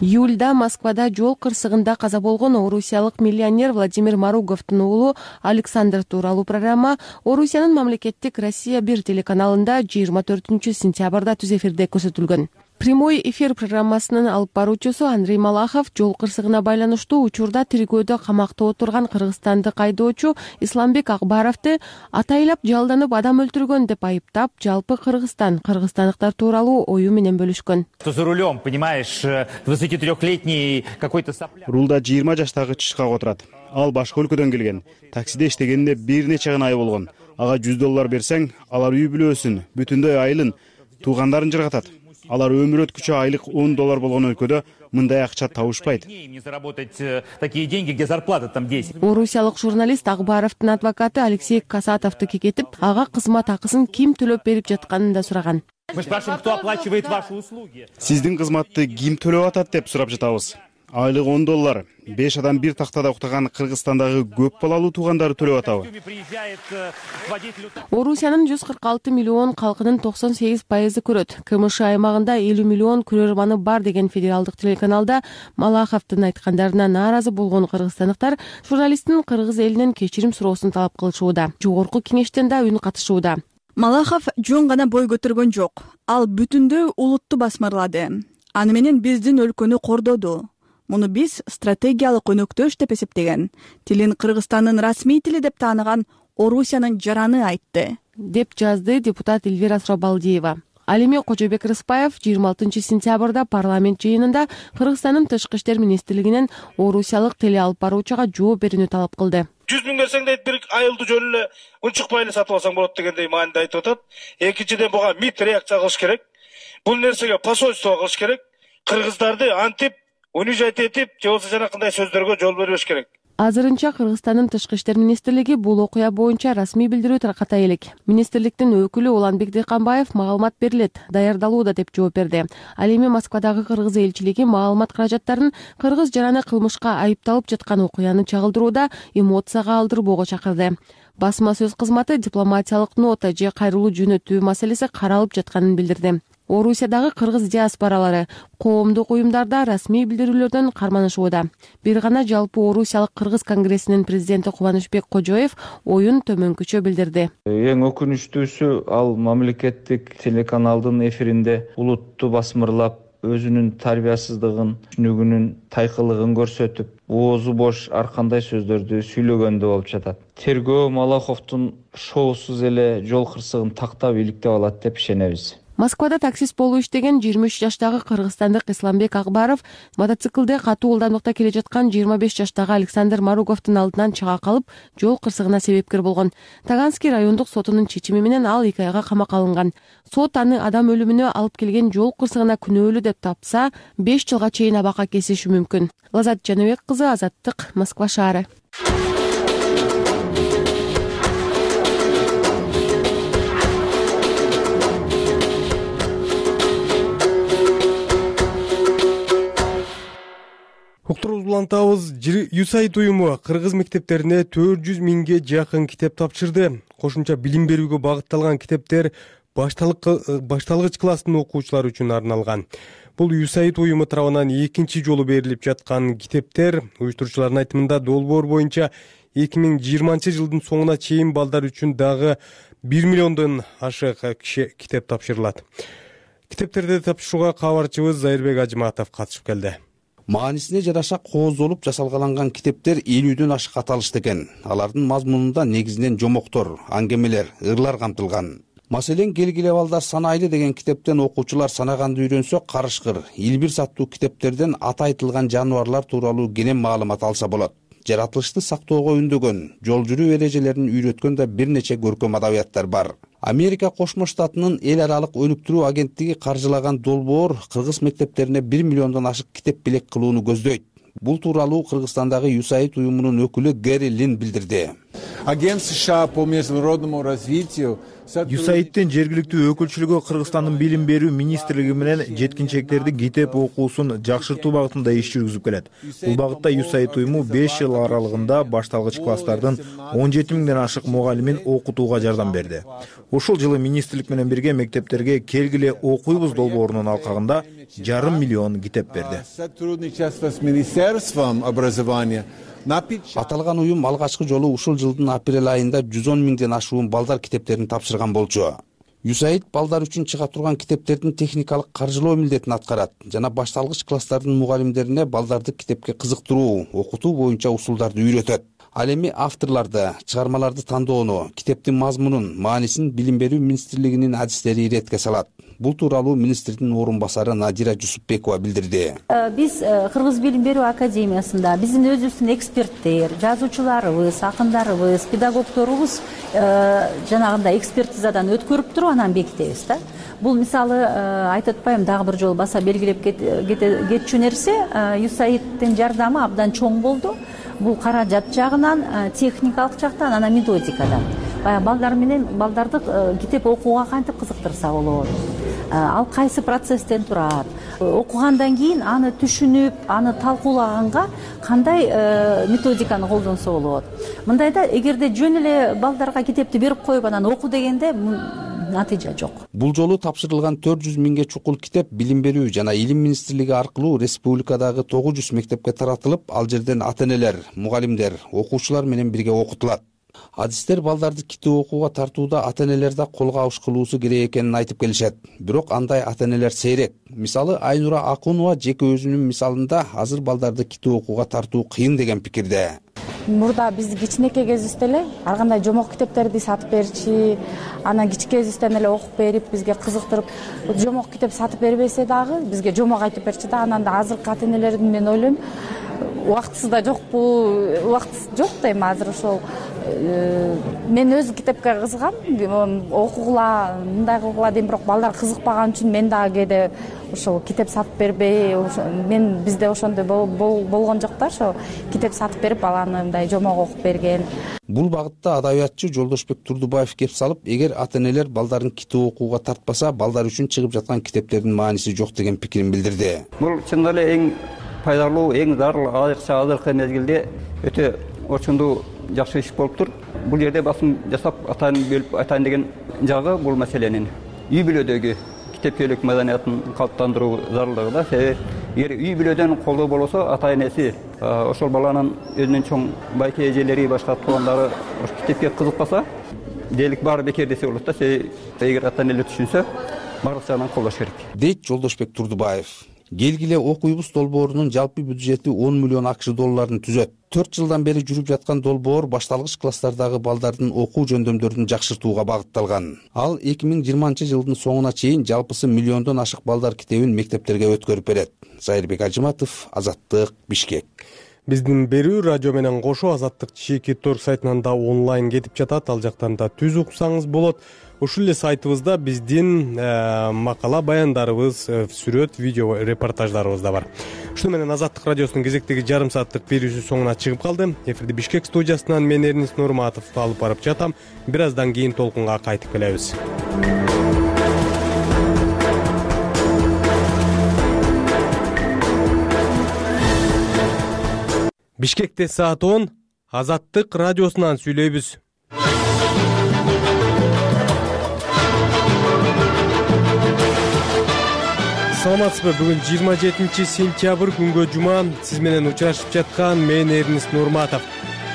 Июльда Москвада жол кырсыгында каза болгон орусиялык миллионер Владимир Маруговдун уулу Александр тууралуу программа Орусиянын мамлекеттик Россия 1 телеканалында 24-сентябрда түз эфирде көрсөтүлгөн. Прямой эфир программасынын алып баруучусу Андрей Малахов жол кырсыгына байланыштуу учурда тиркөөдө камакта отурган кыргызстандык айдоочу Исламбек Акбаровду атайлап жалданып адам өлтүргөн деп айыптап, жалпы кыргызстандыктар тууралуу ою менен бөлүшкөн. За рулем, понимаешь, 23-летний какой-то сопляк. Рулда 20 жаштагы чычкак отурат. Ал башка өлкөдөн келген. Таксиде иштегенде бир нече гана ай болгон. Ага $100 берсең, алар үй бүлөсүн, бүтүндөй айылын, туугандарын жыргатат. Алар өмүр өткүчө айлык $10 болгон өлкөдө мындай акча табышпайт. Орусиялык журналист Акбаровдун адвокаты Алексей Касатовду кекетип, ага кызмат акысын ким төлөп берип жатканын да сураган. Мы спрашиваем, кто оплачивает ваши услуги. Сиздин кызматты ким төлөп атат деп сурап жатабыз. Айлык $10. 5 адам бир тактада уктаган Кыргызстандагы көп балалуу туугандары төлөп атабы? Орусиянын 146 миллион калкынын 98% көрөт. КМШ аймагында 50 миллион көрөрманы бар деген федералдык телеканалда Малаховдун айткандарына нааразы болгон кыргызстандыктар журналисттин кыргыз элинен кечирим суроосун талап кылышууда. Жогорку кеңештен да үн катышууда. Малахов жөн гана бой көтөргөн жок. Ал бүтүндөй улутту басмырлады. Аны менен биздин өлкөнү кордоду. Муну биз стратегиялык өнөктөш деп эсептеген. Тилин Кыргызстандын расмий тили деп тааныган Орусиянын жараны айтты, деп жазды депутат Эльвира Срабалдиева. Ал эми Кожобек Рыспаев 26-сентябрда парламент жыйынында Кыргызстандын тышкы иштер министрлигинен орусиялык теле алып баруучуга жооп берүүнү талап кылды. 100 миң берсең дейт, бир айылды жөн эле унчукпай эле сатып алсаң болот дегендей мааниде айтып атат. Экинчиден буга МИД реакция кылыш керек. Бул нерсеге посольство кылыш керек. Кыргыздарды антип, унижать этип, же болбосо жанакындай сөздөргө жол бербеш керек. Азырынча Кыргызстандын тышкы иштер министрлиги бул окуя боюнча расмий билдирүү тарката элек. Министрликтин өкүлү Уланбек Дыйканбаев маалымат берилет, даярдалууда деп жооп берди. Ал эми Москвадагы кыргыз элчилиги маалымат каражаттарын кыргыз жараны кылмышка айыпталып жаткан окуяны чагылдырууда эмоцияга алдырбоого чакырды. Басма сөз кызматы дипломатиялык нота же кайрылуу жөнөтүү маселеси каралып жатканын билдирди. Орусиядагы кыргыз диаспоралары коомдук уюмдарда расмий билдирүүлөрдөн карманышууда. Бир гана жалпы Орусиялык кыргыз конгрессинин президенти Кубанычбек Кожоев оюн төмөнкүчө билдирди. Эң өкүнүчтүүсү ал мамлекеттик телеканалдын эфиринде улутту басмырлап, өзүнүн тарбиясыздыгын, түшүнүгүнүн тайкылыгын көрсөтүп, оозу бош ар кандай сөздөрдү сүйлөгөндө болуп жатат. Тергөө Малаховдун шоусуз эле жол кырсыгын тактап иликтеп алат деп ишенебиз. Москвада таксист болуп иштеген 23 жаштагы кыргызстандык Исламбек Акбаров мотоциклде катуу ылдамдыкта келе жаткан 25 жаштагы Александр Маруговдун алдынан чыга калып, жол кырсыгына себепкер болгон. Таганский райондук сотунун чечими менен ал 2 айга камакка алынган. Сот аны адам өлүмүнө алып келген жол кырсыгына күнөөлүү деп тапса, 5 жылга чейин абакка кесиши мүмкүн. Лазат Жаныбек кызы, Азаттык, Москва шаары. Уктуруубузду улантабыз. USAID уюму кыргыз мектептерине 400 миңге жакын китеп тапшырды. Кошумча билим берүүгө багытталган китептер башталгыч класстын окуучулары үчүн арналган. Бул USAID уюму тарабынан экинчи жолу берилип жаткан китептер. Уюштуруучулардын айтымында долбоор боюнча 2020 жылдын соңуна чейин балдар үчүн дагы 1 миллиондон ашык китеп тапшырылат. Китептерди тапшырууга кабарчыбыз Зайырбек Ажыматов катышып келди. Маанисине жараша кооздолуп жасалгаланган китептер 50дөн ашык аталышты экен. Алардын мазмунунда негизинен жомоктор, аңгемелер, ырлар камтылган. Маселен, келгиле балдар санайлы деген китептен окуучулар санаганды үйрөнсө, карышкыр, илбир саттуу китептерден аты айтылган жаныбарлар тууралуу кенен маалымат алса болот. Жаратылышты сактоого үндөгөн, жол жүрүү эрежелерин үйрөткөн да бир нече көркөм адабияттар бар. Америка Кошмо Штатынын эл аралык өнүктүрүү агенттиги каржылаган долбоор кыргыз мектептерине 1 миллиондон ашык китеп белек кылууну көздөйт. Бул тууралуу Кыргызстандагы USAID уюмунун өкүлү Гэри Лин билдирди. Агент США по международному развитию USAID'тин жергиликтүү өкүлчүлүгү Кыргызстандын билим берүү министрлиги менен жеткинчектердин китеп окуусун жакшыртуу багытында иш жүргүзүп келет. Бул багытта USAID уюму 5 жыл аралыгында башталгыч класстардын 17 миңден ашык мугалимин окутууга жардам берди. Ушул жылы министрлик менен бирге мектептерге келгиле окуйбуз долбоорунун алкагында 5,5 миллион китеп берди. Аталган уюм алгачкы жолу ушул жылдын апрель айында 110 миңден ашуун балдар китептерин тапшырган болчу. USAID балдар үчүн чыга турган китептердин техникалык каржылоо милдетин аткарат жана башталгыч класстардын мугалимдерине балдарды китепке кызыктыруу, окутуу боюнча усулдарды үйрөтөт. Ал эми авторлорду, чыгармаларды тандоону, китептин мазмунун, маанисин билим берүү министрлигинин адистери иретке салат. Бул тууралуу министрдин орун басары Надира Жусупбекова билдирди. Биз Кыргыз билим берүү академиясында биздин өзүбүздүн эксперттер, жазуучуларыбыз, акындарыбыз, педагогторубуз жанагындай экспертизадан өткөрүп туруп анан бекитебиз да. Бул мисалы айтып атпайм, дагы бир жолу баса белгилеп кетчү нерсе, USAID'тин жардамы абдан чоң болду. Бул каражат жагынан, техникалык жактан, анан методикадан. Балдар менен балдарды китеп окууга кантип кызыктырса болот. Ал кайсы процесстен турат. Окугандан кийин аны түшүнүп, аны талкуулаганга кандай методиканы колдонсо болот. Мындайда эгерде жөн эле балдарга китепти берип коюп анан оку дегенде натыйжа жок. Бул жолу тапшырылган 400 миңге чукул китеп билим берүү жана илим министрлиги аркылуу республикадагы 900 мектепке таратылып, ал жерден ата-энелер, мугалимдер, окуучулар менен бирге окутулат. Адистер балдарды китеп окууга тартууда ата-энелерди колго алыш кылуусу керек экенин айтып келишет. Бирок андай ата-энелер сейрек. Мисалы, Айнура Акунова жеке өзүнүн мисалында азыр балдарды китеп окууга тартуу кыйын деген пикирде. Мурда биз кичинекей кезибизде эле ар кандай жомок китептерди сатып берчи, анан кичинекейибизден эле окуп берип, бизге кызыктырып, жомок китеп сатып бербесе дагы бизге жомок айтып берчи да. Анан да азыркы ата-энелердин мен ойлойм, убактысы да жокпу, убактысы жок дейм азыр ошол. Мен өзү китепке кызыгам, окугула, мындай кылгыла дейм, бирок балдар кызыкпаган үчүн мен дагы кээде ошол китеп сатып бербей, мен бизде ошондой болгон жок да, ошо китеп сатып берип баланы мындай жомок окуп берген. Бул багытта адабиятчы Жолдошбек Турдубаев кеп салып, эгер ата-энелер балдарын китеп окууга тартпаса, балдар үчүн чыгып жаткан китептердин мааниси жок деген пикирин билдирди. Бул чындап эле эң пайдалуу, эң зарыл, айрыкча азыркы мезгилде өтө орчундуу жакшы иш болуптур. Бул жерде басым жасап атайын бөлүп айтайын деген жагы бул маселенин үй бүлөдөгү китепчилик маданиятын калыптандыруу зарылдыгы да. Эгер үй бүлөдөн колдоо болсо, ата-энеси ошол баланын өзүнүн чоң байке эжелери, башка туугандары китепке кызыкпаса, дээрлик баары бекер десе болот да. Эгер ата-энелер түшүнсө, баардык жагынан колдош керек, дейт Жолдошбек Турдубаев. Келгиле окуйбуз долбоорунун жалпы бюджети 10 миллион АКШ долларын түзөт. 4 жылдан бери жүрүп жаткан долбоор башталгыч класстардагы балдардын окуу жөндөмдөрүн жакшыртууга багытталган. Ал 2020-жылдын соңуна чейин жалпысы миллиондон ашык балдар китебин мектептерге өткөрүп берет. Зайырбек Ажыматов, Азаттык, Бишкек. Биздин берүү радио менен кошо Азаттык /Торг сайтынан да онлайн кетип жатат. Ал жактан да түз уксаңыз болот. Ушул эле сайтыбызда биздин макала баяндарыбыз, сүрөт, видео репортаждарыбыз да бар. Ушуну менен Азаттык радиосунун кезектеги жарым сааттык берүүсү соңуна чыгып калды. Эфирди Бишкек студиясынан мен Эрнис Нурматов алып барып жатам. Бир аздан кийин толкунга кайтып келебиз. Бишкекте саат 10, Азаттык радиосунан сүйлөйбүз. Саламатсызбы? Бүгүн 27-сентябрь күнгө жума. Сиз менен учурашып жаткан мен Эрнис Нурматов.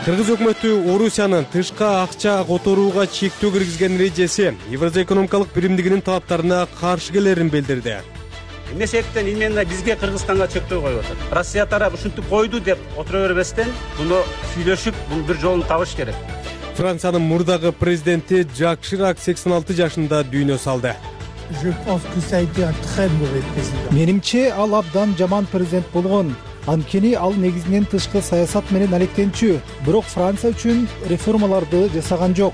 Кыргыз өкмөтү Орусиянын тышка акча которууга чектөө киргизген эрежеси Евразия экономикалык биримдигинин талаптарына каршы келерин билдирди. Эмне себептен именно бизге Кыргызстанга чектөө коюп атат? Россия тарап ушинтип койду деп отура бербестен, буну сүйлөшүп, бул бир жолун табыш керек. Франциянын мурдагы президенти Жак Ширак 86 жашында дүйнө салды. Менимче ал абдан жаман президент болгон. Анткени ал негизинен тышкы саясат менен алектенчү, бирок Франция үчүн реформаларды жасаган жок.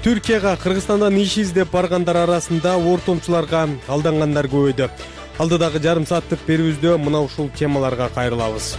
Түркияга Кыргызстандан иш издеп баргандар арасында ортомчуларга алдангандар көбөйдү. Алдыдагы жарым сааттык берүүбүздө мына ушул темаларга кайрылабыз.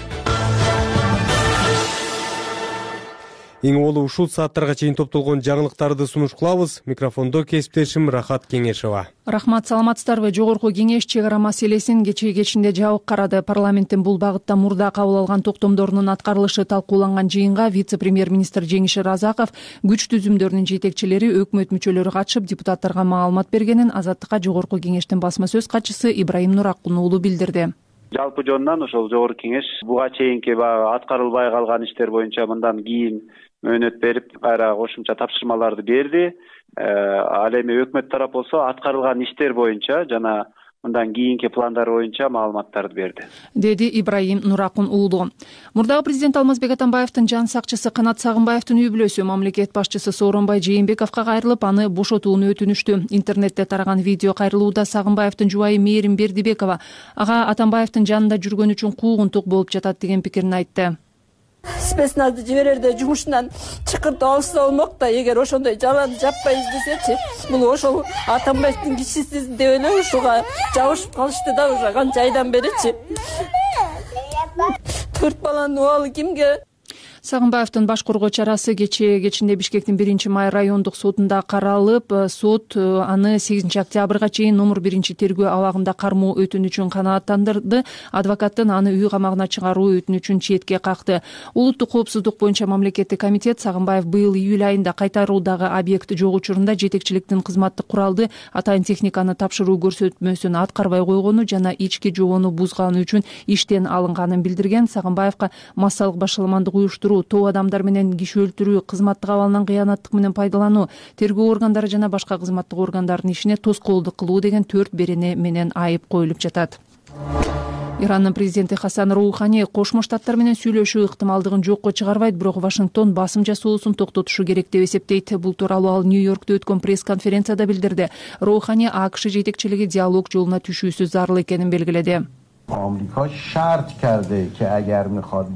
Эң олу ушул сааттарга чейин топтолгон жаңылыктарды сунуш кылабыз. Микрофондо кесиптешим Рахат Кеңешова. Рахмат, саламатсыздарбы? Жогорку кеңеш чек ара маселесин кечинде жабык карады. Парламенттин бул багытта мурда кабыл алган токтомдорунун аткарылышы талкууланган жыйынга вице-премьер-министр Жеңиш Разаков, күч түзүмдөрүнүн жетекчилери, өкмөт мүчөлөрү катышып, депутаттарга маалымат бергенин Азаттыкка жогорку кеңештин басма сөз катчысы Ибраим Нуракун уулу билдирди. Жалпы жонунан ошол жогорку кеңеш буга чейинки аткарылбай калган иштер боюнча мындан кийин мөөнөт берип, кайра кошумча тапшырмаларды берди. Ал эми өкмөт тарап болсо аткарылган иштер боюнча жана мындан кийинки пландар боюнча маалыматтарды берди, деди Ибраим Нуракун уулу. Мурдагы президент Алмазбек Атамбаевдин жан сакчысы Канат Сагынбаевдин үй бүлөсү мамлекет башчысы Сооронбай Жээнбековго кайрылып, аны бошотууну өтүнүштү. Интернетте тараган видео кайрылууда Сагынбаевдин жубайы Мээрим Бердибекова ага Атамбаевдин жанында жүргөн үчүн куугунтук болуп жатат деген пикирин айтты. Спецназды жиберерде жумушунан чыкыртып алышса болмок да, эгер ошондой жаланы жаппай издесечи, бул ошол Атамбаевдин кишиси деп эле ушуга жабышып калышты да, уже канча айдан беричи. 4 баланын убалы кимге? Сагынбаевдин баш коргоо чарасы кечинде Бишкектин 1-май райондук сотунда каралып, сот аны 8-октябрга чейин номер 1-тергөө абагында кармоо өтүнүчүн канааттандырды. Адвокаттын аны үй камагына чыгаруу өтүнүчүн четке какты. Улуттук коопсуздук боюнча мамлекеттик комитет Сагынбаев быйыл июль айында кайтаруудагы объект жок учурунда жетекчиликтин кызматтык куралды, атайын техниканы тапшыруу көрсөтмөсүн аткарбай койгону жана ички жобону бузганы үчүн иштен алынганын билдирген. Сагынбаевга массалык башаламандык уюштуруу, тоо адамдар менен киши өлтүрүү, кызматтык абалынан кыянаттык менен пайдалануу, тергөө органдары жана башка кызматтык органдардын ишине тоскоолдук кылуу деген 4 берене менен айып коюлуп жатат. Ирандын президенти Хасан Роухани Кошмо Штаттар менен сүйлөшүү ыктымалдыгын жокко чыгарбайт, бирок Вашингтон басым жасоосун токтотушу керек деп эсептейт. Бул тууралуу ал Нью-Йоркто өткөн пресс-конференцияда билдирди. Роухани АКШ жетекчилиги диалог жолуна түшүүсү зарыл экенин белгиледи.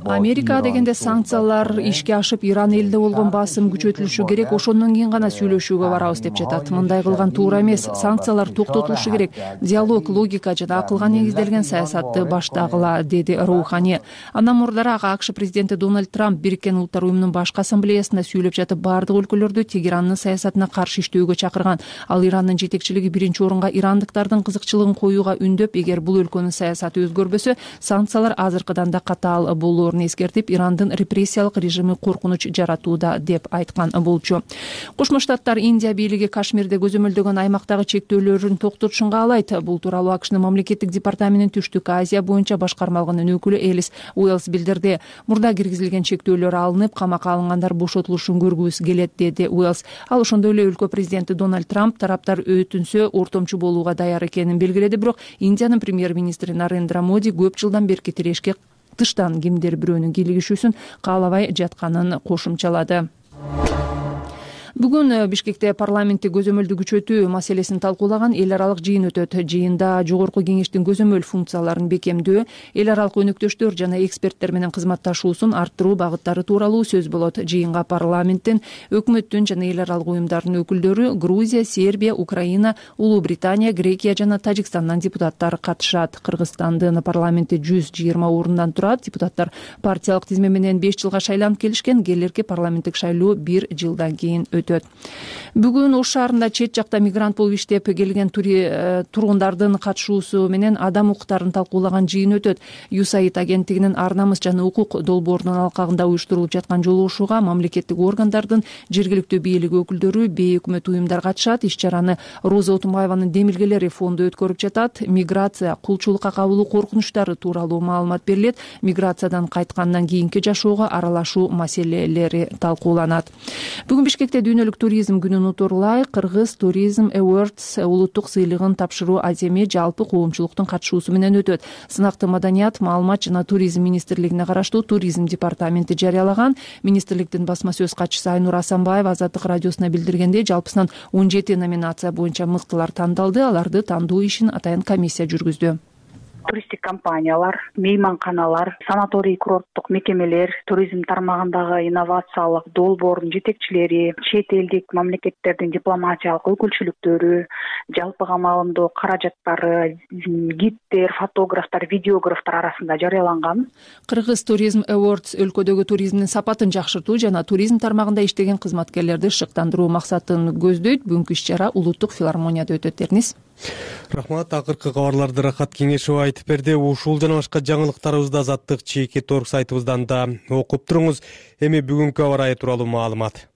Америка дегенде санкциялар ишке ашып, Иран элде болгон басым күчөтүлүшү керек, ошондон кийин гана сүйлөшүүгө барабыз деп жатат. Мындай кылган туура эмес, санкциялар токтотулушу керек, диалог, логика жана акылга негизделген саясатты баштагыла, деди Роухани. Андан мурдараак АКШ президенти Дональд Трамп Бириккен Улуттар уюмунун башкы ассамблеясында сүйлөп жатып, бардык өлкөлөрдү Тегерандын саясатына каршы иштөөгө чакырган. Ал Ирандын жетекчилиги 1-орунга ирандыктардын кызыкчылыгын коюуга үндөп, эгер бул өлкөнүн саясаты өзгөрбөсө, санкциялар азыркыдан да катаал болоорун эскертип, Ирандын репрессиялык режими коркунуч жаратууда деп айткан болчу. Кошмо Штаттар Индия бийлиги Кашмирде көзөмөлдөгөн аймактагы чектөөлөрүн токтотушун каалайт. Бул тууралуу АКШнын мамлекеттик департаментинин Түштүк Азия боюнча башкармалыгынын өкүлү Элис Уэллс билдирди. Мурда киргизилген чектөөлөр алынып, камакка алынгандар бошотулушун көргүбүз келет, деди Уэллс. Ал ошондой эле өлкө президенти Дональд Трамп тараптар өтүнсө ортомчу болууга даяр экенин белгиледи, бирок Индиянын премьер-министри Нарендра Нарендра Моди көп жылдан берки тирешке тыштан кимдир бирөөнүн кийлигишүүсүн каалабай жатканын кошумчалады. Бүгүн Бишкекте парламентти көзөмөлдү күчөтүү маселесин талкуулаган эл аралык жыйын өтөт. Жыйында Жогорку кеңештин көзөмөл функцияларын бекемдөө, эл аралык өнөктөштөр жана эксперттер менен кызматташуусун арттыруу багыттары тууралуу сөз болот. Жыйынга парламенттин, өкмөттүн жана эл аралык уюмдардын өкүлдөрү, Грузия, Сербия, Украина, Улуу Британия, Грекия жана Тажикстандан депутаттар катышат. Кыргызстандын парламенти 120 орундан турат. Депутаттар партиялык тизме менен 5 жылга шайланып келишкен. Келерки парламенттик шайлоо 1 жылдан кийин өтөт. Бүгүн Ош шаарында чет жакта мигрант болуп иштеп келген тургундардын катышуусу менен адам укуктарын талкуулаган жыйын өтөт. USAID агенттигинин Ар намыс жана укук долбоорунун алкагында уюштурулуп жаткан жолугушууга мамлекеттик органдардын, жергиликтүү бийлик өкүлдөрү, бейөкмөт уюмдар катышат. Иш-чараны Роза Отунбаеванын Демилгелери фонду өткөрүп жатат. Миграция, кулчулукка кабылуу коркунучтары тууралуу маалымат берилет. Миграциядан кайткандан кийинки жашоого аралашуу маселелери талкууланат. Бүгүн Бишкекте дүйнөлүк туризм күнүн утурлай Кыргыз Tourism Awards улуттук сыйлыгын тапшыруу аземи жалпы коомчулуктун катышуусу менен өтөт. Сынакты Маданият, маалымат жана туризм министрлигине караштуу туризм департаменти жарыялаган. Министрликтин басма сөз катчысы Айнур Асанбаева Азаттык радиосуна билдиргендей, жалпысынан 17 номинация боюнча мыктылар тандалды. Аларды тандоо ишин атайын комиссия жүргүздү. Туристтик компаниялар, мейманканалар, санаторий курорттук мекемелер, туризм тармагындагы инновациялык долбоордун жетекчилери, чет элдик мамлекеттердин дипломатиялык өкүлчүлүктөрү, жалпыга маалымдоо каражаттары, гиддер, фотографтар, видеографтар арасында жарыяланган. Кыргыз Tourism Awards өлкөдөгү туризмдин сапатын жакшыртуу жана туризм тармагында иштеген кызматкерлерди шыктандыруу максатын көздөйт. Бүгүнкү иш-чара улуттук филармонияда өтөт. Эрнис. Рахмат. Акыркы кабарларды Рахат Кеңешова айтып берди. Ушул жана башка жаңылыктарыбызды Азаттык ЧК сайтыбыздан да окуп туруңуз. Эми бүгүнкү аба ырайы тууралуу маалымат.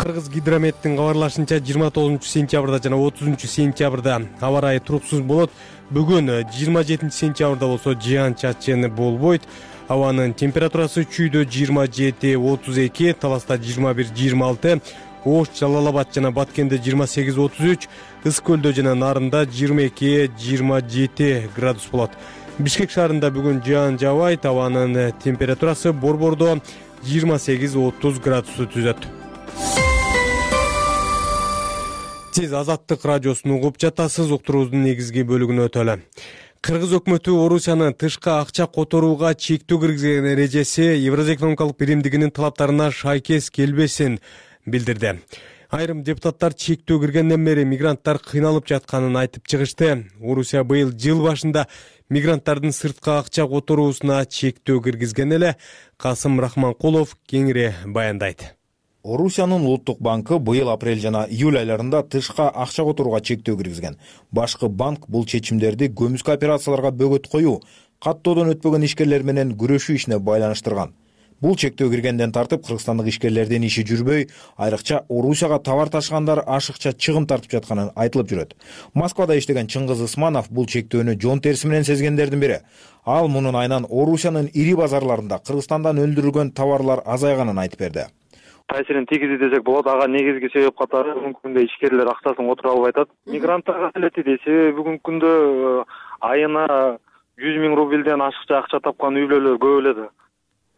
Кыргыз гидрометтин кабарлашынча 29 сентябрда жана 30 сентябрда аба ырайы туруксуз болот. Бүгүн 27 сентябрда болсо жаан-чачын болбойт. Абанын температурасы чүйдө 27-32, Таласта 21-26, Ош, Жалал-Абад жана Баткенде 28-33, Ыс көлдө жана Нарында 22-27 градус болот. Бишкек шаарында бүгүн жаан жаабайт, абанын температурасы борбордо 28-30 градусту түзөт. Сиз Азаттык радиосун угуп жатасыз. Уктуруубуздун негизги бөлүгүнө өтөлү. Кыргыз өкмөтү Орусиянын тышкы акча которууга чектөө киргизген эрежеси Евразия экономикалык биримдигинин талаптарына шайкес келбесин билдирди. Айрым депутаттар чектөө киргенден бери мигранттар кыйналып жатканын айтып чыгышты. Орусия быйыл жыл башында мигранттардын сырткы акча которуусуна чектөө киргизген эле. Касым Рахманкулов кеңири баяндайт. Орусиянын улуттук банкы быйыл апрель жана июль айларында тышка акча которууга чектөө киргизген. Башкы банк бул чечимдерди көмүскө операцияларга бөгөт коюу, каттоодон өтпөгөн ишкерлер менен күрөшүү ишине байланыштырган. Бул чектөө киргенден тартып кыргызстандык ишкерлердин иши жүрбөй, айрыкча Орусияга товар ташыгандар ашыкча чыгым тартып жатканы айтылып жүрөт. Москвада иштеген Чыңгыз Ысманов бул чектөөнү жон терси менен сезгендердин бири. Ал мунун айынан Орусиянын ири базарларында Кыргызстандан өндүрүлгөн товарлар азайганын айтып берди. Таасирин тийгизи десек болот. Ага негизги себеп катары бүгүнкү күндө ишкерлер акчасын отура албай атат. Мигранттарга келет дейт. Себеби бүгүнкү күндө айына 100 000 рубльден ашыкча акча тапкан үй бүлөлөр көп эле.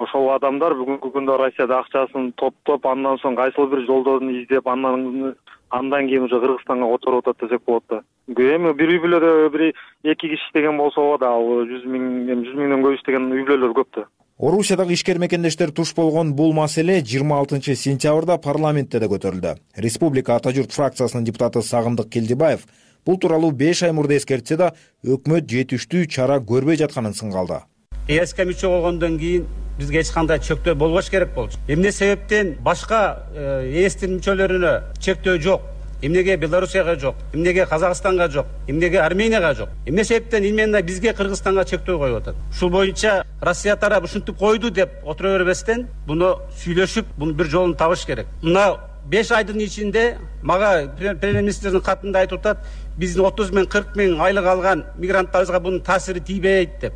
Ошол адамдар бүгүнкү күндө Россияда акчасын топтоп, андан соң кайсыл бир жолдорун издеп, андан кийин уже Кыргызстанга которуп атат десек болот да. Эми бир үй бүлөдө бир 2 киши иштеген болсо да, ал 100 000ден көп иштеген үй бүлөлөр көп да. Орусиядагы ишкер мекендештер туш болгон бул маселе 26 сентябрда парламентте да көтөрүлдү. Республика Ата журт фракциясынын депутаты Сагындык Келдибаев бул тууралуу 5 ай мурда эскертсе да, өкмөт жетиштүү чара көрбөй жатканын сынгалды. ЭСК мүчө болгондон кийин бизге эч кандай чектөө болбош керек болчу. Эмне себептен башка ЭСтин мүчөлөрүнө чектөө жок? Эмнеге Белоруссияга жок? Эмнеге Казакстанга жок? Эмнеге Арменияга жок? Эмне себептен именно бизге Кыргызстанга чектөө коюп атат? Ушул боюнча Россия тарабы ушинтип койду деп отура бербестен, буну сүйлөшүп, бунун бир жолун табыш керек. Мына 5 айдын ичинде мага премьер-министрдин катында айтып атат, биздин 30 000, 40 000 айлык алган мигранттарыбызга бунун таасири тийбейт деп.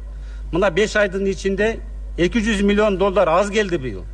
Мына 5 айдын ичинде $200 миллион аз келди быйыл.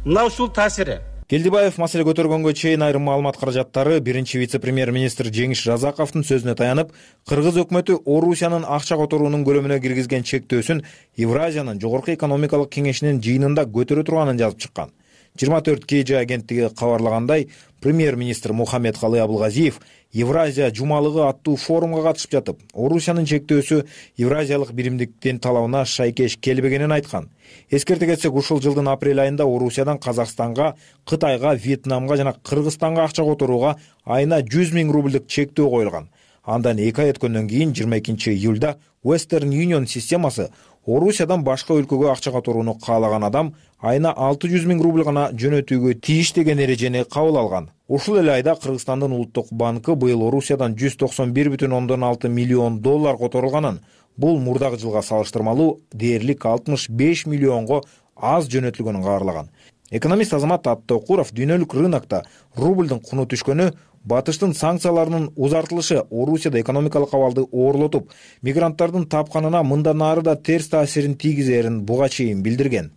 Мына ушул таасири. Келдибаев маселе көтөргөнгө чейин айрым маалымат каражаттары биринчи вице-премьер-министр Жеңиш Разаковдун сөзүнө таянып, Кыргыз өкмөтү Орусиянын акча которуунун көлөмүнө киргизген чектөөсүн Евразиянын жогорку экономикалык кеңешинин жыйынында көтөрө турганын жазып чыккан. 24 KG агенттиги кабарлагандай, премьер-министр Мухаммедкалый Абылгазиев Евразия жумалыгы аттуу форумга катышып жатып, Орусиянын чектөөсү Евразиялык биримдиктин талабына шайкеш келбегенин айткан. Эскерте кетсек, ушул жылдын апрель айында Орусиядан Казакстанга, Кытайга, Вьетнамга жана Кыргызстанга акча которууга айына 100 000 рубльдик чектөө коюлган. Андан 2 ай өткөндөн кийин 22 июлда Western Union системасы Орусиядан башка өлкөгө акча которууну каалаган адам айына 600 000 рубль гана жөнөтүүгө тийиш деген эрежени кабыл алган. Ушул эле айда Кыргызстандын улуттук банкы быйыл Орусиядан 191,6 миллион доллар которулганын, бул мурдагы жылга салыштырмалуу дээрлик 65 миллионго аз жөнөтүлгөнүн кабарлаган. Экономист Азамат Аттокуров дүйнөлүк рынокто рублдун куну түшкөнү, батыштын санкцияларынын узартылышы Орусияда экономикалык абалды оорлотуп, мигранттардын тапканына мындан ары да терс таасирин тийгизерин буга чейин билдирген.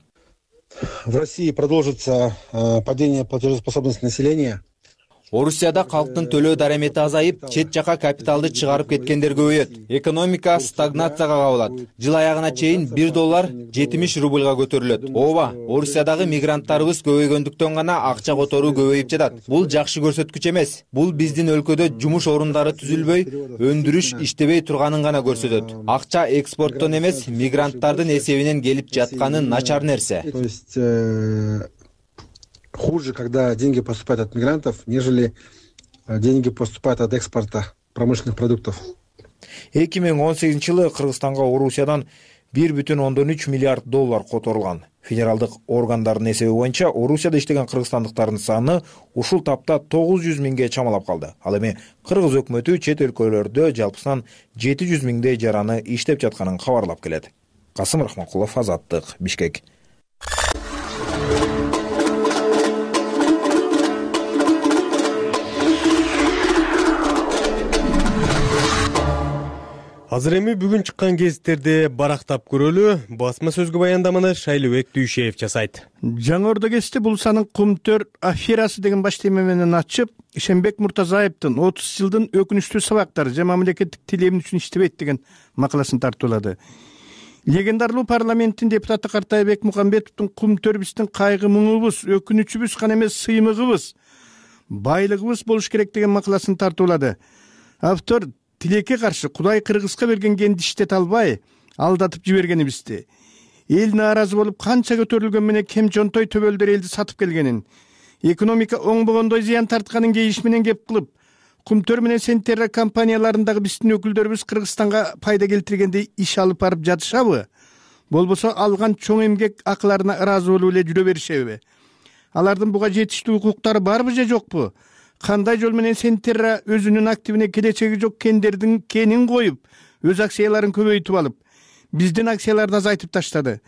В России продолжится падение платежеспособности населения. Орусияда калктын төлөө дарамети азайып, чет жака капиталды чыгарып кеткендер көбөйөт. Экономика стагнацияга кабылат. Жыл аягына чейин $1 70 рубльга көтөрүлөт. Ооба, Орусиядагы мигранттарыбыз көбөйгөндүктөн гана акча которуу көбөйүп жатат. Бул жакшы көрсөткүч эмес. Бул биздин өлкөдө жумуш орундары түзүлбөй, өндүрүш иштебей турганын гана көрсөтөт. Акча экспорттон эмес, мигранттардын эсебинен келип жатканы начар нерсе. То есть хуже, когда деньги поступают от мигрантов, нежели деньги поступают от экспорта промышленных продуктов. 2018-жылы Кыргызстанга Орусиядан 1,3 миллиард доллар которулган. Федералдык органдардын эсеби боюнча Орусияда иштеген кыргызстандыктардын саны ушул тапта 900 000ге чамалап калды. Ал эми Кыргыз өкмөтү чет өлкөлөрдө жалпысынан 700 000дей жараны иштеп жатканын кабарлап келет. Касым Рахманкулов, Азаттык, Бишкек. Азыр эми бүгүн чыккан гезиттерди барактап көрөлү. Басма сөзгө баяндаманы Шайлыбек Дүйшеев жасайт. Жаңы Ордо гезити бул санын Кумтөр аферасы деген баш тема менен ачып, Ишенбек Муртазаевдин 30 жылдын өкүнүчтүү сабактары жана мамлекеттик тилем үчүн иштебейт деген макаласын тартуулады. Легендарлуу парламенттин депутаты Картайбек Мукамбетовдун Кумтөр биздин кайгы муңубуз, өкүнүчүбүз гана эмес, сыймыгыбыз, байлыгыбыз болуш керек деген макаласын тартуулады. Автор тилекке каршы Кудай Кыргызга берген кенди иштете албай, алдатып жибергенибизди, эл нааразы болуп канча көтөрүлгөн менен кем жонтой төбөлдөр элди сатып келгенин, экономика оңбогондой зыян тартканын кейиш менен кеп кылып, Кумтөр менен Сентерра компанияларындагы биздин өкүлдөрүбүз Кыргызстанга пайда келтиргендей иш алып барып жатышабы? Болбосо алган чоң эмгек акыларына ыраазы болуп эле жүрө беришеби? Алардын буга жетиштүү укуктары барбы же жокпу? Кандай жол менен Сентерра өзүнүн активине келечеги жок кендердин кенин коюп, өз акцияларын көбөйтүп алып, биздин акцияларды азайтып таштады?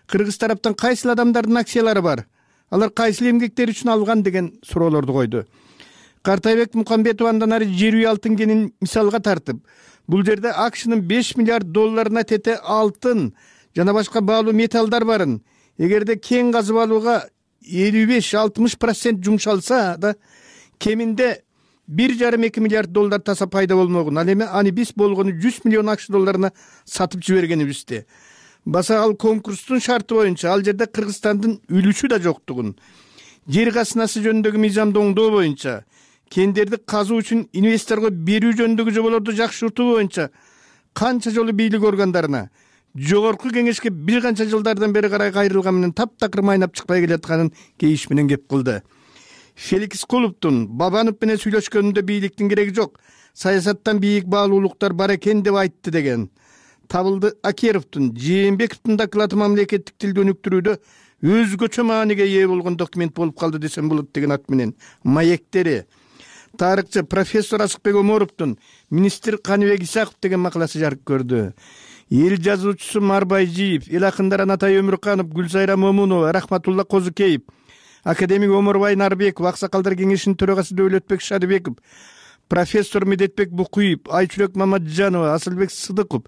Кыргыз тараптан кайсыл адамдардын акциялары бар? Алар кайсыл эмгектер үчүн алган деген суроолорду койду. Картайбек Мукамбетов андан ары жер үй алтын кенин мисалга тартып, бул жерде АКШнын 5 миллиард долларына тете алтын жана башка баалуу металлдар барын. Эгерде кен казып алууга 55-60% жумшалса да, кеминде 1,5-2 миллиард доллар таса пайда болмогун. Ал эми аны биз болгону 100 миллион АКШ долларына сатып жибергенибизди. Баса ал конкурстун шарты боюнча ал жерде Кыргызстандын үлүшү да жоктугун, жер казынасы жөнүндөгү мыйзамды оңдоо боюнча, кендерди казуу үчүн инвесторго берүү жөнүндөгү жоболорду жакшыртуу боюнча канча жолу бийлик органдарына, жогорку кеңешке бир канча жылдардан бери карай кайрылган менен таптакыр майнап чыкпай келатканын кейиш менен кеп кылды. Феликс Кулуптун Бабанов менен сүйлөшкөнүндө бийликтин кереги жок, саясаттан бийик баалуулуктар бар экен деп айтты деген. Табылды Акеровдун, Жээнбековдун доклады мамлекеттик тилди өнүктүрүүдө өзгөчө мааниге ээ болгон документ болуп калды десем болот деген ат менен маектери. Тарыхчы профессор Асыкбек Оморовдун министр Каныбек Исаков деген макаласы жарык көрдү. Эл жазуучусу Марбай Жиев, эл акындар Анатай Өмүрканов, Гүлзайра Момунова, Рахматулла Козукеев, академик Омурбай Нарбеков, Аксакалдар кеңешинин төрагасы Дөөлөтбек Шадыбеков, профессор Медетбек Букуев, Айчүрөк Мамаджанова, Асылбек Сыдыков,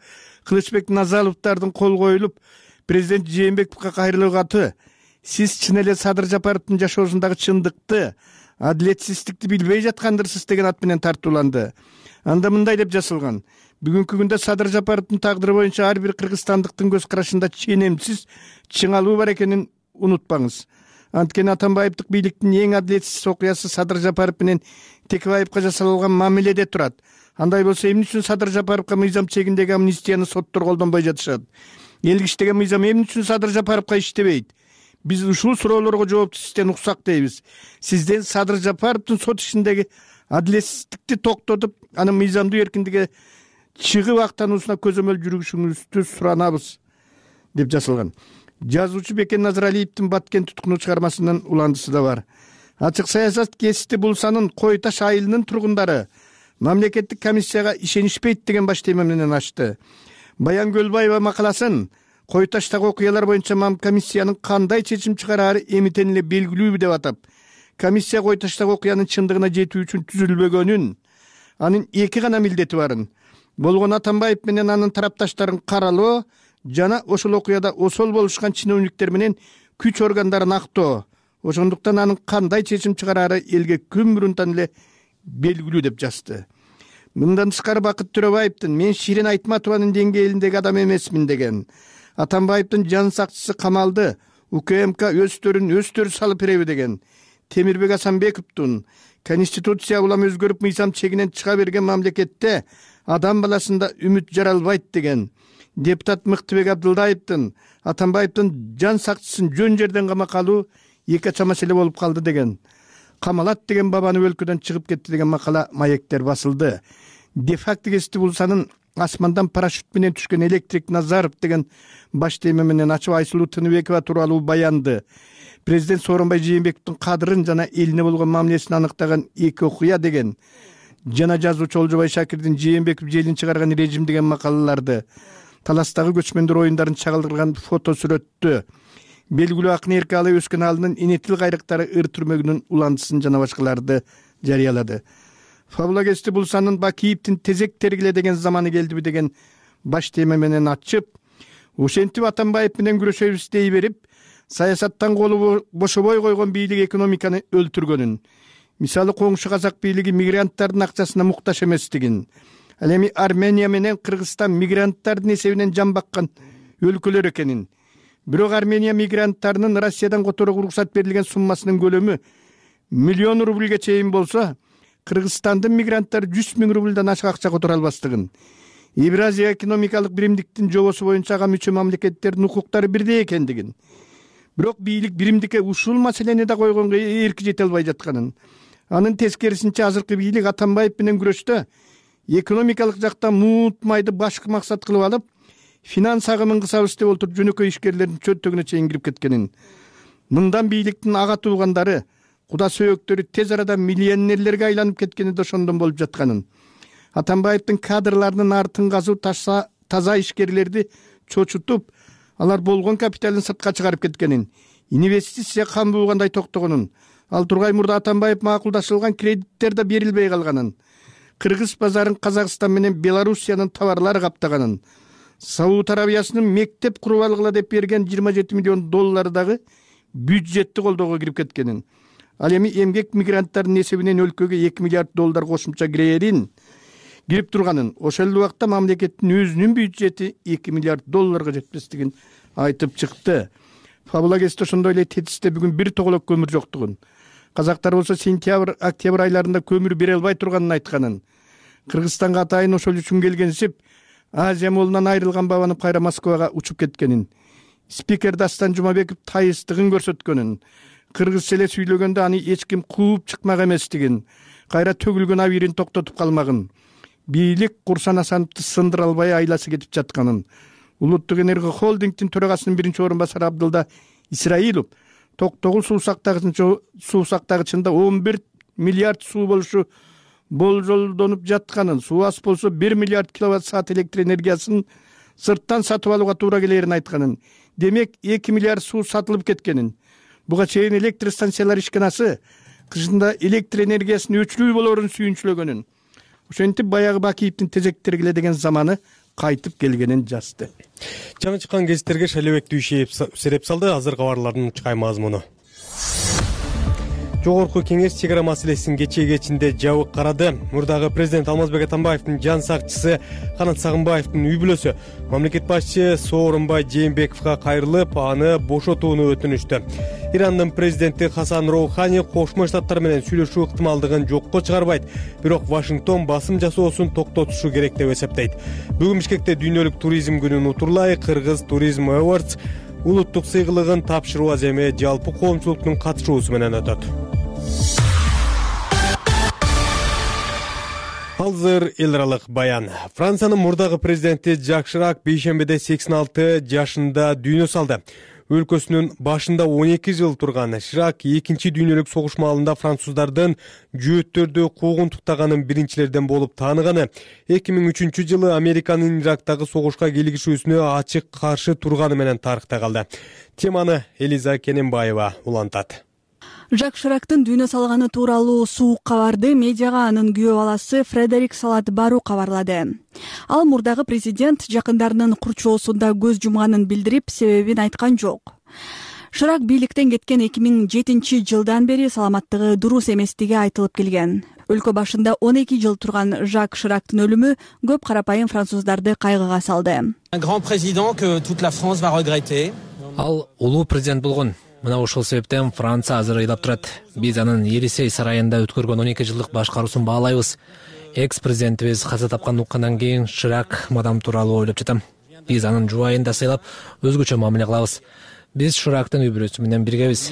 Кылычбек Назаловдардын кол коюлуп, президент Жээнбековго кайрылуу каты, сиз чын эле Садыр Жапаровдун жашоосундагы чындыкты, адилетсиздикти билбей жаткандырсыз деген ат менен тартууланды. Анда мындай деп жазылган: бүгүнкү күндө Садыр Жапаровдун тагдыры боюнча ар бир кыргызстандыктын көз карашында ченемсиз чыңалуу бар экенин унутпаңыз. Анткени Атамбаевдик бийликтин эң адилетсиз окуясы Садыр Жапаров менен Текебаевка жасалган мамиледе турат. Андай болсо эмне үчүн Садыр Жапаровго мыйзам чегиндеги амнистияны соттор колдонбой жатышат? Элге иштеген мыйзам эмне үчүн Садыр Жапаровго иштебейт? Биз ушул суроолорго жоопту сизден уксак дейбиз. Сизден Садыр Жапаровдун сот ишиндеги адилетсиздикти токтотуп, анын мыйзамдуу эркиндикке чыгып актануусуна көзөмөл жүргүзүшүңүздү суранабыз деп жазылган. Жазуучу Бекен Назаралиевдин Баткен туткуну чыгармасынын уландысы да бар. Ачык саясат кести Булсанын Кой Таш айылынын тургундары мамлекеттик комиссияга ишенишпейт деген баш тема менен ачты. Баян Көлбаева макаласын Кой Таштагы окуялар боюнча комиссиянын кандай чечим чыгарары эмитен эле белгилүү деп атап, комиссия Кой Таштагы окуянын чындыгына жетүү үчүн түзүлбөгөнүн, анын эки гана милдети барын, болгон Атамбаев менен анын тарапташтарын каралоо жана ошол окуяда осол болушкан чиновниктер менен күч органдарын актоо, ошондуктан анын кандай чечим чыгарары элге күн мурунтан эле белгилүү деп жазды. Мындан тышкары Бакыт Төрөбаевдин мен Ширин Айтматованын деңгээлиндеги адам эмесмин деген, Атамбаевдин жан сакчысы камалды, УКМК өстөрү салып береби деген, Темирбек Асанбековдун Конституция улам өзгөрүп мыйзам чегинен чыга берген мамлекетте адам баласында үмүт жаралбайт деген, депутат Мыктыбек Абдылдаевдин Атамбаевдин жан сакчысын жөн жерден камакка алуу эки ача маселе болуп калды деген, камалат деген бабаны өлкөдөн чыгып кетти деген макала маектер басылды. Де-факто кести Булсанын асмандан парашют менен түшкөн Электрик Назаров деген баш тема менен ачып Айсулуу Тыныбекова тууралуу баянды. Президент Сооронбай Жээнбековдун кадырын жана элине болгон мамилесин аныктаган эки окуя деген, жана жазуучу Олжобай Шакирдин Жээнбеков желин чыгарган режим деген макалаларды, таластагы көчмөндөр оюндарын чагылдырган фото сүрөттү, белгилүү акын Эркалы өскөн алынын Инетил кайрыктары ыр түрмөгүнүн уландысын жана башкаларды жарыялады. Фабула кести Булсанын Бакиевдин тезек тергиле деген заманы келдиби деген баш тема менен ачып, ошентип Атамбаев менен күрөшөбүз дей берип, саясаттан колу бошобой койгон бийлик экономиканы өлтүргөнүн, мисалы коңшу казак бийлиги мигранттардын акчасына муктаж эместигин, ал эми Армения менен Кыргызстан мигранттардын эсебинен жан баккан өлкөлөр экенин, бирок Армения мигранттарынын Россиядан которууга уруксат берилген суммасынын көлөмү 1 миллион рубльге чейин болсо, Кыргызстандын мигранттары 100 000 рубльдан ашык акча которо албастыгын, Евразия экономикалык биримдиктин жобосу боюнча ага мүчө мамлекеттердин укуктары бирдей экендигин, бирок бийлик биримдикке ушул маселени да койгонго эрки жете албай жатканын, анын тескерисинче азыркы бийлик Атамбаев менен күрөштө экономикалык жактан муут майды башкы максат кылып алып, финанс агымын кысабыз деп отуруп жөнөкөй ишкерлердин чөнтөгүнө чейин кирип кеткенин, мындан бийликтин ага туугандары, куда сөөктөрү тез арада миллионерлерге айланып кеткени да ошондон болуп жатканын, Атамбаевдин кадрларынын артын казуу таза ишкерлерди чочутуп, алар болгон капиталын сыртка чыгарып кеткенин, инвестиция кан буугандай токтогонун, ал тургай мурда Атамбаев макулдашылган кредиттер да берилбей калганын, кыргыз базарын Казакстан менен Белоруссиянын товарлары каптаганын, Сауд Арабиясынын мектеп куруп алгыла деп берген $27 миллион дагы бюджетти колдоого кирип кеткенин, ал эми эмгек мигранттардын эсебинен өлкөгө $2 миллиард кошумча кирип турганын, ошол убакта мамлекеттин өзүнүн бюджети $2 миллиард жетпестигин айтып чыкты. Фабула кести ошондой эле Тетисте бүгүн бир тоголок көмүр жоктугун, казактар болсо сентябрь, октябрь айларында көмүр бере албай турганын айтканын, Кыргызстанга атайын ошол үчүн келгенсип Азия молунан айрылган бабанып кайра Москвага учуп кеткенин, спикер Дастан Жумабеков тайыстыгын көрсөткөнүн, кыргызча эле сүйлөгөндө аны эч ким кууп чыкмак эместигин, кайра төгүлгөн абийирин токтотуп калмагын, бийлик Курсан Асановду сындыра албай айласы кетип жатканын, Улуттук энерго холдингдин төрагасынын биринчи орун басары Абдылда Исраилов Токтогул суу сактагычында 11 миллиард суу болушу болжолдонуп жатканын, суу аз болсо 1 миллиард киловатт саат электр энергиясын сырттан сатып алууга туура келерин айтканын, демек 2 миллиард суу сатылып кеткенин, буга чейин электр станциялар ишканасы кышында электр энергиясынын өчүрүү болоорун сүйүнчүлөгөнүн, ошентип баягы Бакиевдин тезек тергиле деген заманы кайтып келгенин жазды. Жаңы чыккан гезиттерге Шайлебек Дүйшеев сереп салды. Азыр кабарлардын чыкай мазмуну. Жогорку кеңеш чек ара маселесин кечинде жабык карады. Мурдагы президент Алмазбек Атамбаевдин жан сакчысы Канат Сагынбаевдин үй бүлөсү мамлекет башчы Сооронбай Жээнбековго кайрылып, аны бошотууну өтүнүштү. Ирандын президенти Хасан Роухани Кошмо Штаттар менен сүйлөшүү ыктымалдыгын жокко чыгарбайт, бирок Вашингтон басым жасоосун токтотушу керек деп эсептейт. Бүгүн Бишкекте дүйнөлүк туризм күнүн утурлай Кыргыз Tourism Awards улуттук сыйгылыгын тапшыруу аземи жалпы коомчулуктун катышуусу менен өтөт. Азыр эл аралык баян. Франциянын мурдагы президенти Жак Ширак бейшембиде 86 жашында дүйнө салды. Өлкөсүнүн башында 12 жыл турган Ширак экинчи дүйнөлүк согуш маалында француздардын жөөттөрдү куугунтуктаганын биринчилерден болуп тааныганы. 2003 жылы Американын Ирактагы согушка кийлигишүүсүнө ачык каршы турганы менен тарыхта калды. Теманы Элиза Кененбаева улантат. Жак Ширактын дүйнө салганы тууралуу суук кабарды медиага анын күйөө баласы Фредерик Салат Бару кабарлады. Ал мурдагы президент жакындарынын курчоосунда көз жумганын билдирип, себебин айткан жок. Ширак бийликтен кеткен 2007 жылдан бери саламаттыгы дурус эместиги айтылып келген. Өлкө башында 12 жыл турган Жак Ширактын өлүмү көп карапайым француздарды кайгыга салды. Ал улуу президент болгон. Мына ушул себептен Франция азыр ыйлап турат. Биз анын Елисей сарайында өткөргөн 12 жылдык башкаруусун баалайбыз. Экс-президентибиз каза тапкан уккандан кийин Ширак мадам тууралуу ойлоп жатам. Биз анын жубайында сыйлап, өзгөчө мамиле кылабыз. Биз Ширактын үй бүлөсү менен биргебиз.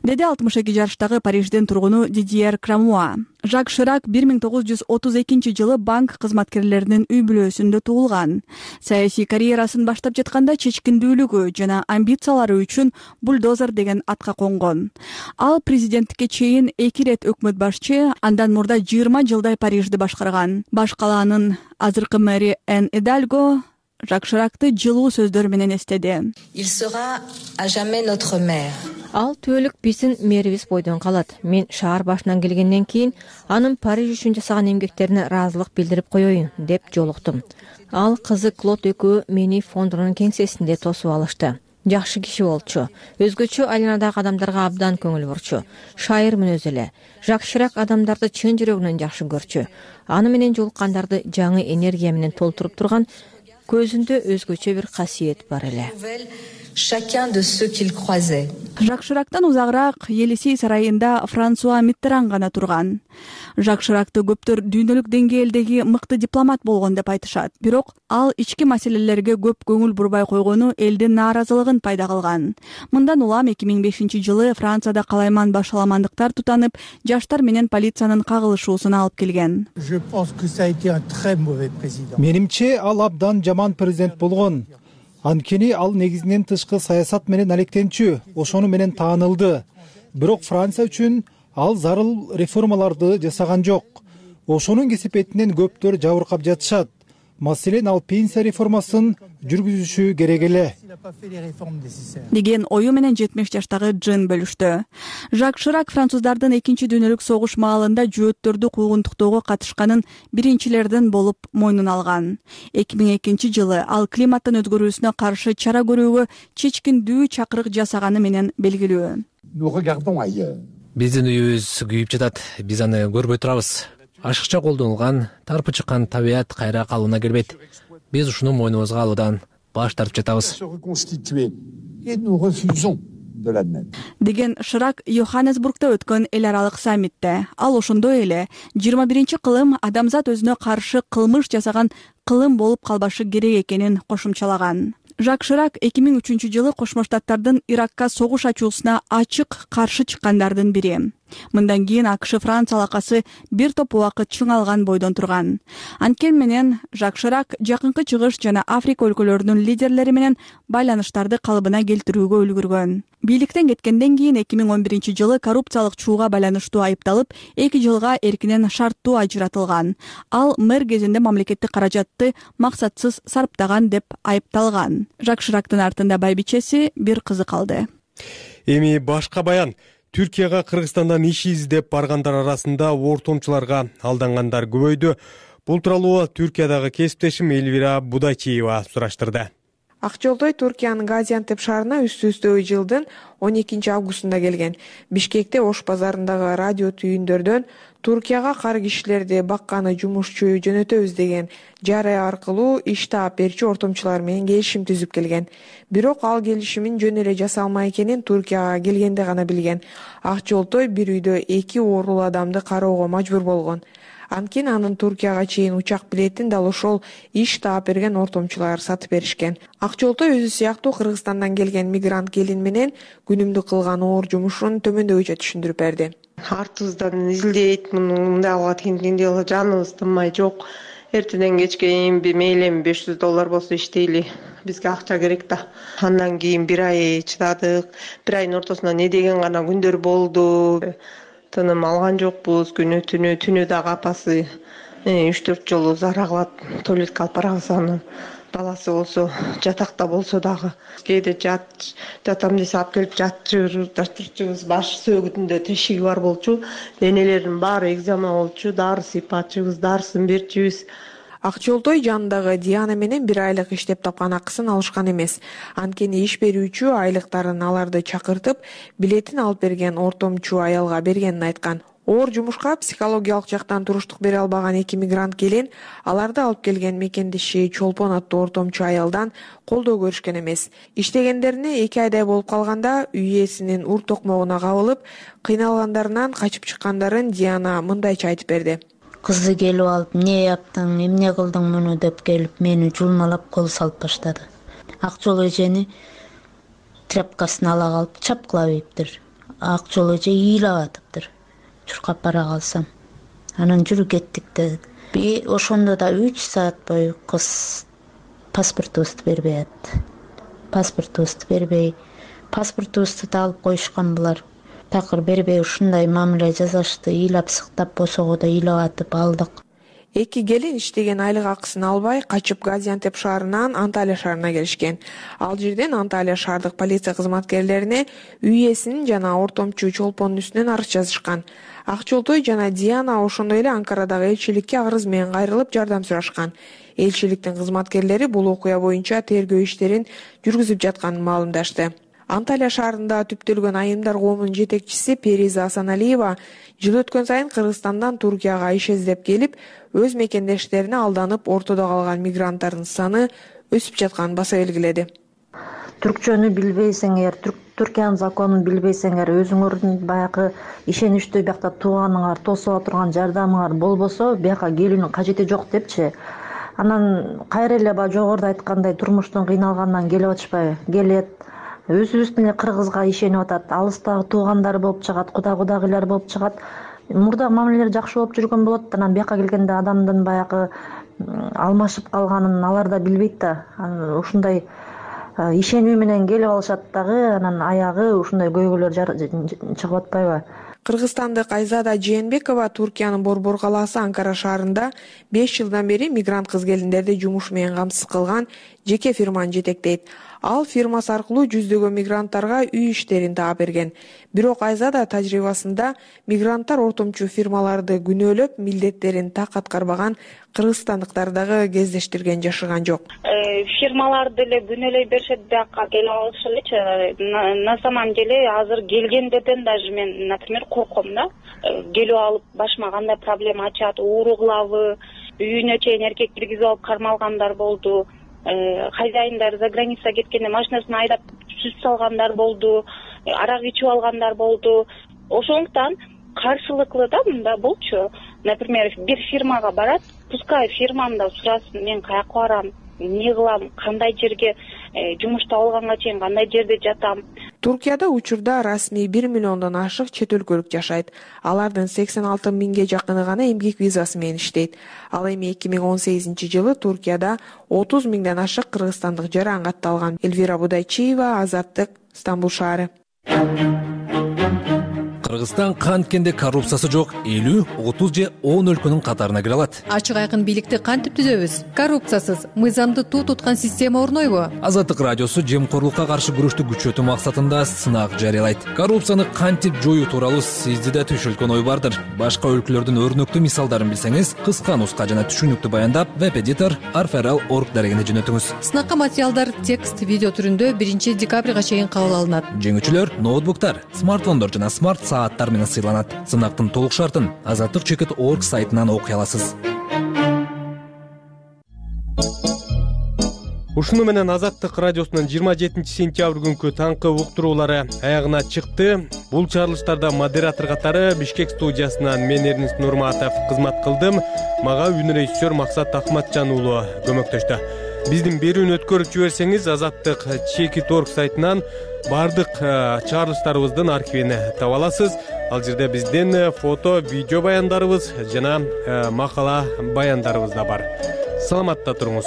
Деди 62 жаштагы Париждин тургуну Дидьер Крамуа. Жак Ширак 1932 жылы банк кызматкерлеринин үй бүлөсүндө туулган. Саясий карьерасын баштап жатканда чечкиндүүлүгү жана амбициялары үчүн бульдозер деген атка конгон. Ал президенттикке чейин 2 рет өкмөт башчы, андан мурда 20 жылдай Парижди башкарган. Баш калаанын азыркы мэри Эн Эдальго Жак Ширакты жылуу сөздөр менен эстеди. Ал түбөлүк биздин мэрибиз бойдон калат. Мен шаар башынан келгенден кийин анын Париж үчүн жасаган эмгектерине ыраазылык билдирип коеюн деп жолуктум. Ал кызы Клод экөө мени фондунун кеңсесинде тосуп алышты. Жакшы киши болчу. Өзгөчө айланадагы адамдарга абдан көңүл бурчу. Шайыр мүнөз эле. Жак Ширак адамдарды чын жүрөгүнөн жакшы көрчү. Аны менен жолуккандарды жаңы энергия менен толтуруп турган көзүндө өзгөчө бир касиет бар эле. Жак Ширактан узагыраак Елисей сарайында Франсуа Миттеран гана турган. Жак Ширакты көптөр дүйнөлүк деңгээлдеги мыкты дипломат болгон деп айтышат. Бирок ал ички маселелерге көп көңүл бурбай койгону элдин нааразылыгын пайда кылган. Мындан улам 2005 жылы Францияда калайман башаламандыктар тутанып, жаштар менен полициянын кагылышуусуна алып келген. Менимче ал абдан жаман президент болгон. Анткени ал негизинен тышкы саясат менен алектенчү, ошону менен таанылды. Бирок Франция үчүн ал зарыл реформаларды жасаган жок. Ошонун кесепетинен көптөр жабыркап жатышат. Маселен, ал пенсия реформасын жүргүзүшү керек эле деген ою менен 70 жаштагы Джин бөлүштү. Жак Ширак француздардын экинчи дүйнөлүк согуш маалында жөөттөрдү куугунтуктоого катышканын биринчилерден болуп мойнун алган. 2002 жылы ал климаттын өзгөрүүсүнө каршы чара көрүүгө чечкиндүү чакырык жасаганы менен белгилүү. Биздин үйүбүз күйүп жатат. Биз аны көрбөй турабыз. Ашыкча колдонулган, тарпы чыккан табият кайра калыбына келбейт. Биз ушуну мойнубузга алуудан баш тартып жатабыз. Деген Ширак Йоханнесбургда өткөн эл аралык саммитте. Ал ошондой эле 21-кылым адамзат өзүнө каршы кылмыш жасаган кылым болуп калбашы керек экенин кошумчалаган. Жак Ширак 2003 жылы Кошмо Штаттардын Иракка согуш ачуусуна ачык каршы чыккандардын бири. Мындан кийин АКШ Франция алакасы бир топ убакыт чыңалган бойдон турган. Анткени менен Жак Ширак Жакынкы Чыгыш жана Африка өлкөлөрүнүн лидерлери менен байланыштарды калыбына келтирүүгө үлгүргөн. Бийликтен кеткенден кийин 2011 жылы коррупциялык чууга байланыштуу айыпталып, 2 жылга эркинен шарттуу ажыратылган. Ал мэр кезинде мамлекеттик каражатты максатсыз сарптаган деп айыпталган. Жак Ширактын артында байбичеси, бир кызы калды. Эми башка баян. Түркияга Кыргызстандан иш издеп баргандар арасында ортомчуларга алдангандар көбөйдү. Бул тууралуу Түркиядагы кесиптешим Элвира Будачиева сураштырды. Ак жолдой Туркиянын Газиантеп шаарына үстү-үстө жылдын 12 августунда келген. Бишкекте Ош базарындагы радио түйүндөрдөн Туркияга кар кишилерди бакканы жумушчу жөнөтөбүз деген жарыя аркылуу иш таап берчү ортомчулар менен келишим түзүп келген. Бирок ал келишимин жөн эле жасалмай экенин Туркияга келгенде гана билген. Ак жолдой бир үйдө 2 оорулуу адамды кароого мажбур болгон. Анткени анын Туркияга чейин учак билетин дал ошол иш таап берген ортомчулар сатып беришкен. Ак жолдой өзү сыяктуу Кыргызстандан келген мигрант келин менен күнүмдүк кылган оор жумушун төмөндөгүчө түшүндүрүп берди. Артыбыздан изилдейт, мындай алга тигиндей жаныбыз тынмай, жок. Эртеден кечке мейли $500 болсо иштейли. Бизге акча керек да. Андан кийин бир ай чыдадык. Бир айдын ортосунда не деген гана күндөр болду. Тыным алган жокпуз, түнү дагы апасы 3-4 жолу зара кылат, туалетке алып барабыз анын. Баласы болсо жатакта болсо дагы кээде жатам десе алып келип жатчыбыз, баш сөөгүтүндө тешиги бар болчу, денелердин баары экзема болчу, дары сыйпачыбыз, дарысын берчүбүз. Ак жолдой жанындагы Диана менен бир айлык иштеп тапкан акысын алышкан эмес. Анткени иш берүүчү айлыктарын аларды чакыртып, билетин алып берген ортомчу аялга бергенин айткан. Оор жумушка психологиялык жактан туруштук бере албаган 2 мигрант келин аларды алып келген мекендеши Чолпон аттуу ортомчу аялдан колдоо көрүшкөн эмес. Иштегендерине 2 айдай болуп калганда үй ээсинин ур токмогуна кабылып, кыйналгандарынан качып чыккандарын Диана мындайча айтып берди. Кызды келип алып, эмне яптың, эмне кылдың муну деп келип, мени жулмалап кол салып баштады. Ак жол эжени тряпкасын ала калып чапкылап ийиптир. Ак жол эже ыйлап атыптыр. Чуркап бара калсам. Анан жүрү кеттик деди. Ошондо да 3 саат бою кыз паспортубузду бербей атты. Паспортубузду да алып коюшкан булар. Такыр бербей ушундай мамиле жасашты, ыйлап сыктап босого да ыйлап атып алдык. 2 келин иштеген айлык акысын албай качып Газиантеп шаарынан Анталия шаарына келишкен. Ал жерден Анталия шаардык полиция кызматкерлерине үй ээсинин жана ортомчу Чолпондун үстүнөн арыз жазышкан. Ак жолдой жана Диана ошондой эле Анкарадагы элчиликке арыз менен кайрылып жардам сурашкан. Элчиликтин кызматкерлери бул окуя боюнча тергөө иштерин жүргүзүп жатканын маалымдашты. Анталия шаарында түптөлгөн айымдар коомунун жетекчиси Периза Асаналиева жыл өткөн сайын Кыргызстандан Туркияга иш издеп келип, өз мекендештерине алданып ортодо калган мигранттардын саны өсүп жатканын баса белгиледи. Түркчөнү билбейсиңер, Түркиянын законун билбейсиңер, өзүңөрдүн баягы ишеничтүү биякта тууганыңар, тосуп отурган жардамыңар болбосо, бияка келүүнүн кажети жок депчи. Анан кайра эле жогоруда айткандай турмуштун кыйналганынан келип атышпайбы? Келет. Өзүбүздүн эле кыргызга ишенип атат. Алыстагы туугандары болуп чыгат, кудагыйлар болуп чыгат. Мурда мамилелер жакшы болуп жүргөн болот. Анан бияка келгенде адамдын баягы алмашып калганын алар да билбейт да. Ушундай ишенүү менен келип алышат дагы, анан аягы ушундай көйгөйлөр чыгып атпайбы? Кыргызстандык Айзада Жээнбекова Туркиянын Борбор калаасы Анкара шаарында 5 жылдан бери мигрант кыз келиндерди жумуш менен камсыз кылган жеке фирманы жетектейт. Ал фирмасы аркылуу жүздөгөн мигранттарга үй иштерин таап берген. Бирок Айзада тажрыйбасында мигранттар ортомчу фирмаларды күнөөлөп, милдеттерин так аткарбаган кыргызстандыктар дагы кездештирген жашырган жок. Фирмалар деле күнөөлөй беришет, бияка келип алышылычы. На самом деле азыр келгендерден даже мен, например, корком да. Келип алып башыма кандай проблема ачат, ууру кылабы, үйүнө чейин эркек киргизип алып кармалгандар болду. Хозяиндар за граница кеткенде машинасын айдап сүт салгандар болду, арак ичип алгандар болду. Ошондуктан каршылыклуу да мында болчу. Например, бир фирмага барат, пускай фирмамда сурасын, мен каяка барам, эмне кылам, кандай жерге жумуш табылганга чейин кандай жерде жатам. Туркияда учурда расмий 1 миллиондон ашык чет өлкөлүк жашайт. Алардын 86 миңге жакыны гана эмгек визасы менен иштейт. Ал эми 2018-жылы Туркияда 30 миңден ашык кыргызстандык жаран катталган. Элвира Будайчиева, Азаттык, Стамбул шаары. Кыргызстан канткенде коррупциясы жок 50, 30 же 10 өлкөнүн катарына кире алат. Ачык айкын бийликти кантип түзөбүз? Коррупциясыз, мыйзамды туу туткан система орнойбу? Азаттык радиосу жемкорлукка каршы күрөштү күчөтүү максатында сынак жарыялайт. Коррупцияны кантип жоюу тууралуу сизде да түшүлгөн ой бардыр. Башка өлкөлөрдүн өрнөктүү мисалдарын билсеңиз, кыска нуска жана түшүнүктүү баяндап веб-эдитор arferal.org дарегине жөнөтүңүз. Сынакка материалдар текст, видео түрүндө 1 декабрга чейин кабыл алынат. Жеңүүчүлөр ноутбуктар, смартфондор жана смарт сааттар менен сыйланат. Сынактын толук шартын azatlyk.org сайтынан окуй аласыз. Ушуну менен Азаттык радиосунун 27 сентябрь күнкү таңкы уктуруулары аягына чыкты. Бул чыгарылыштарда модератор катары Бишкек студиясынан мен Эрнис Нурматов кызмат кылдым. Мага үн режиссер Максат Акматжан уулу көмөктөштү. Биздин берүүнү өткөрүп жиберсеңиз, Azatlyk.org сайтынан бардык чыгарылыштарыбыздын архивин таба аласыз. Ал жерде биздин фото, видео баяндарыбыз жана макала баяндарыбыз да бар. Саламатта туруңуз.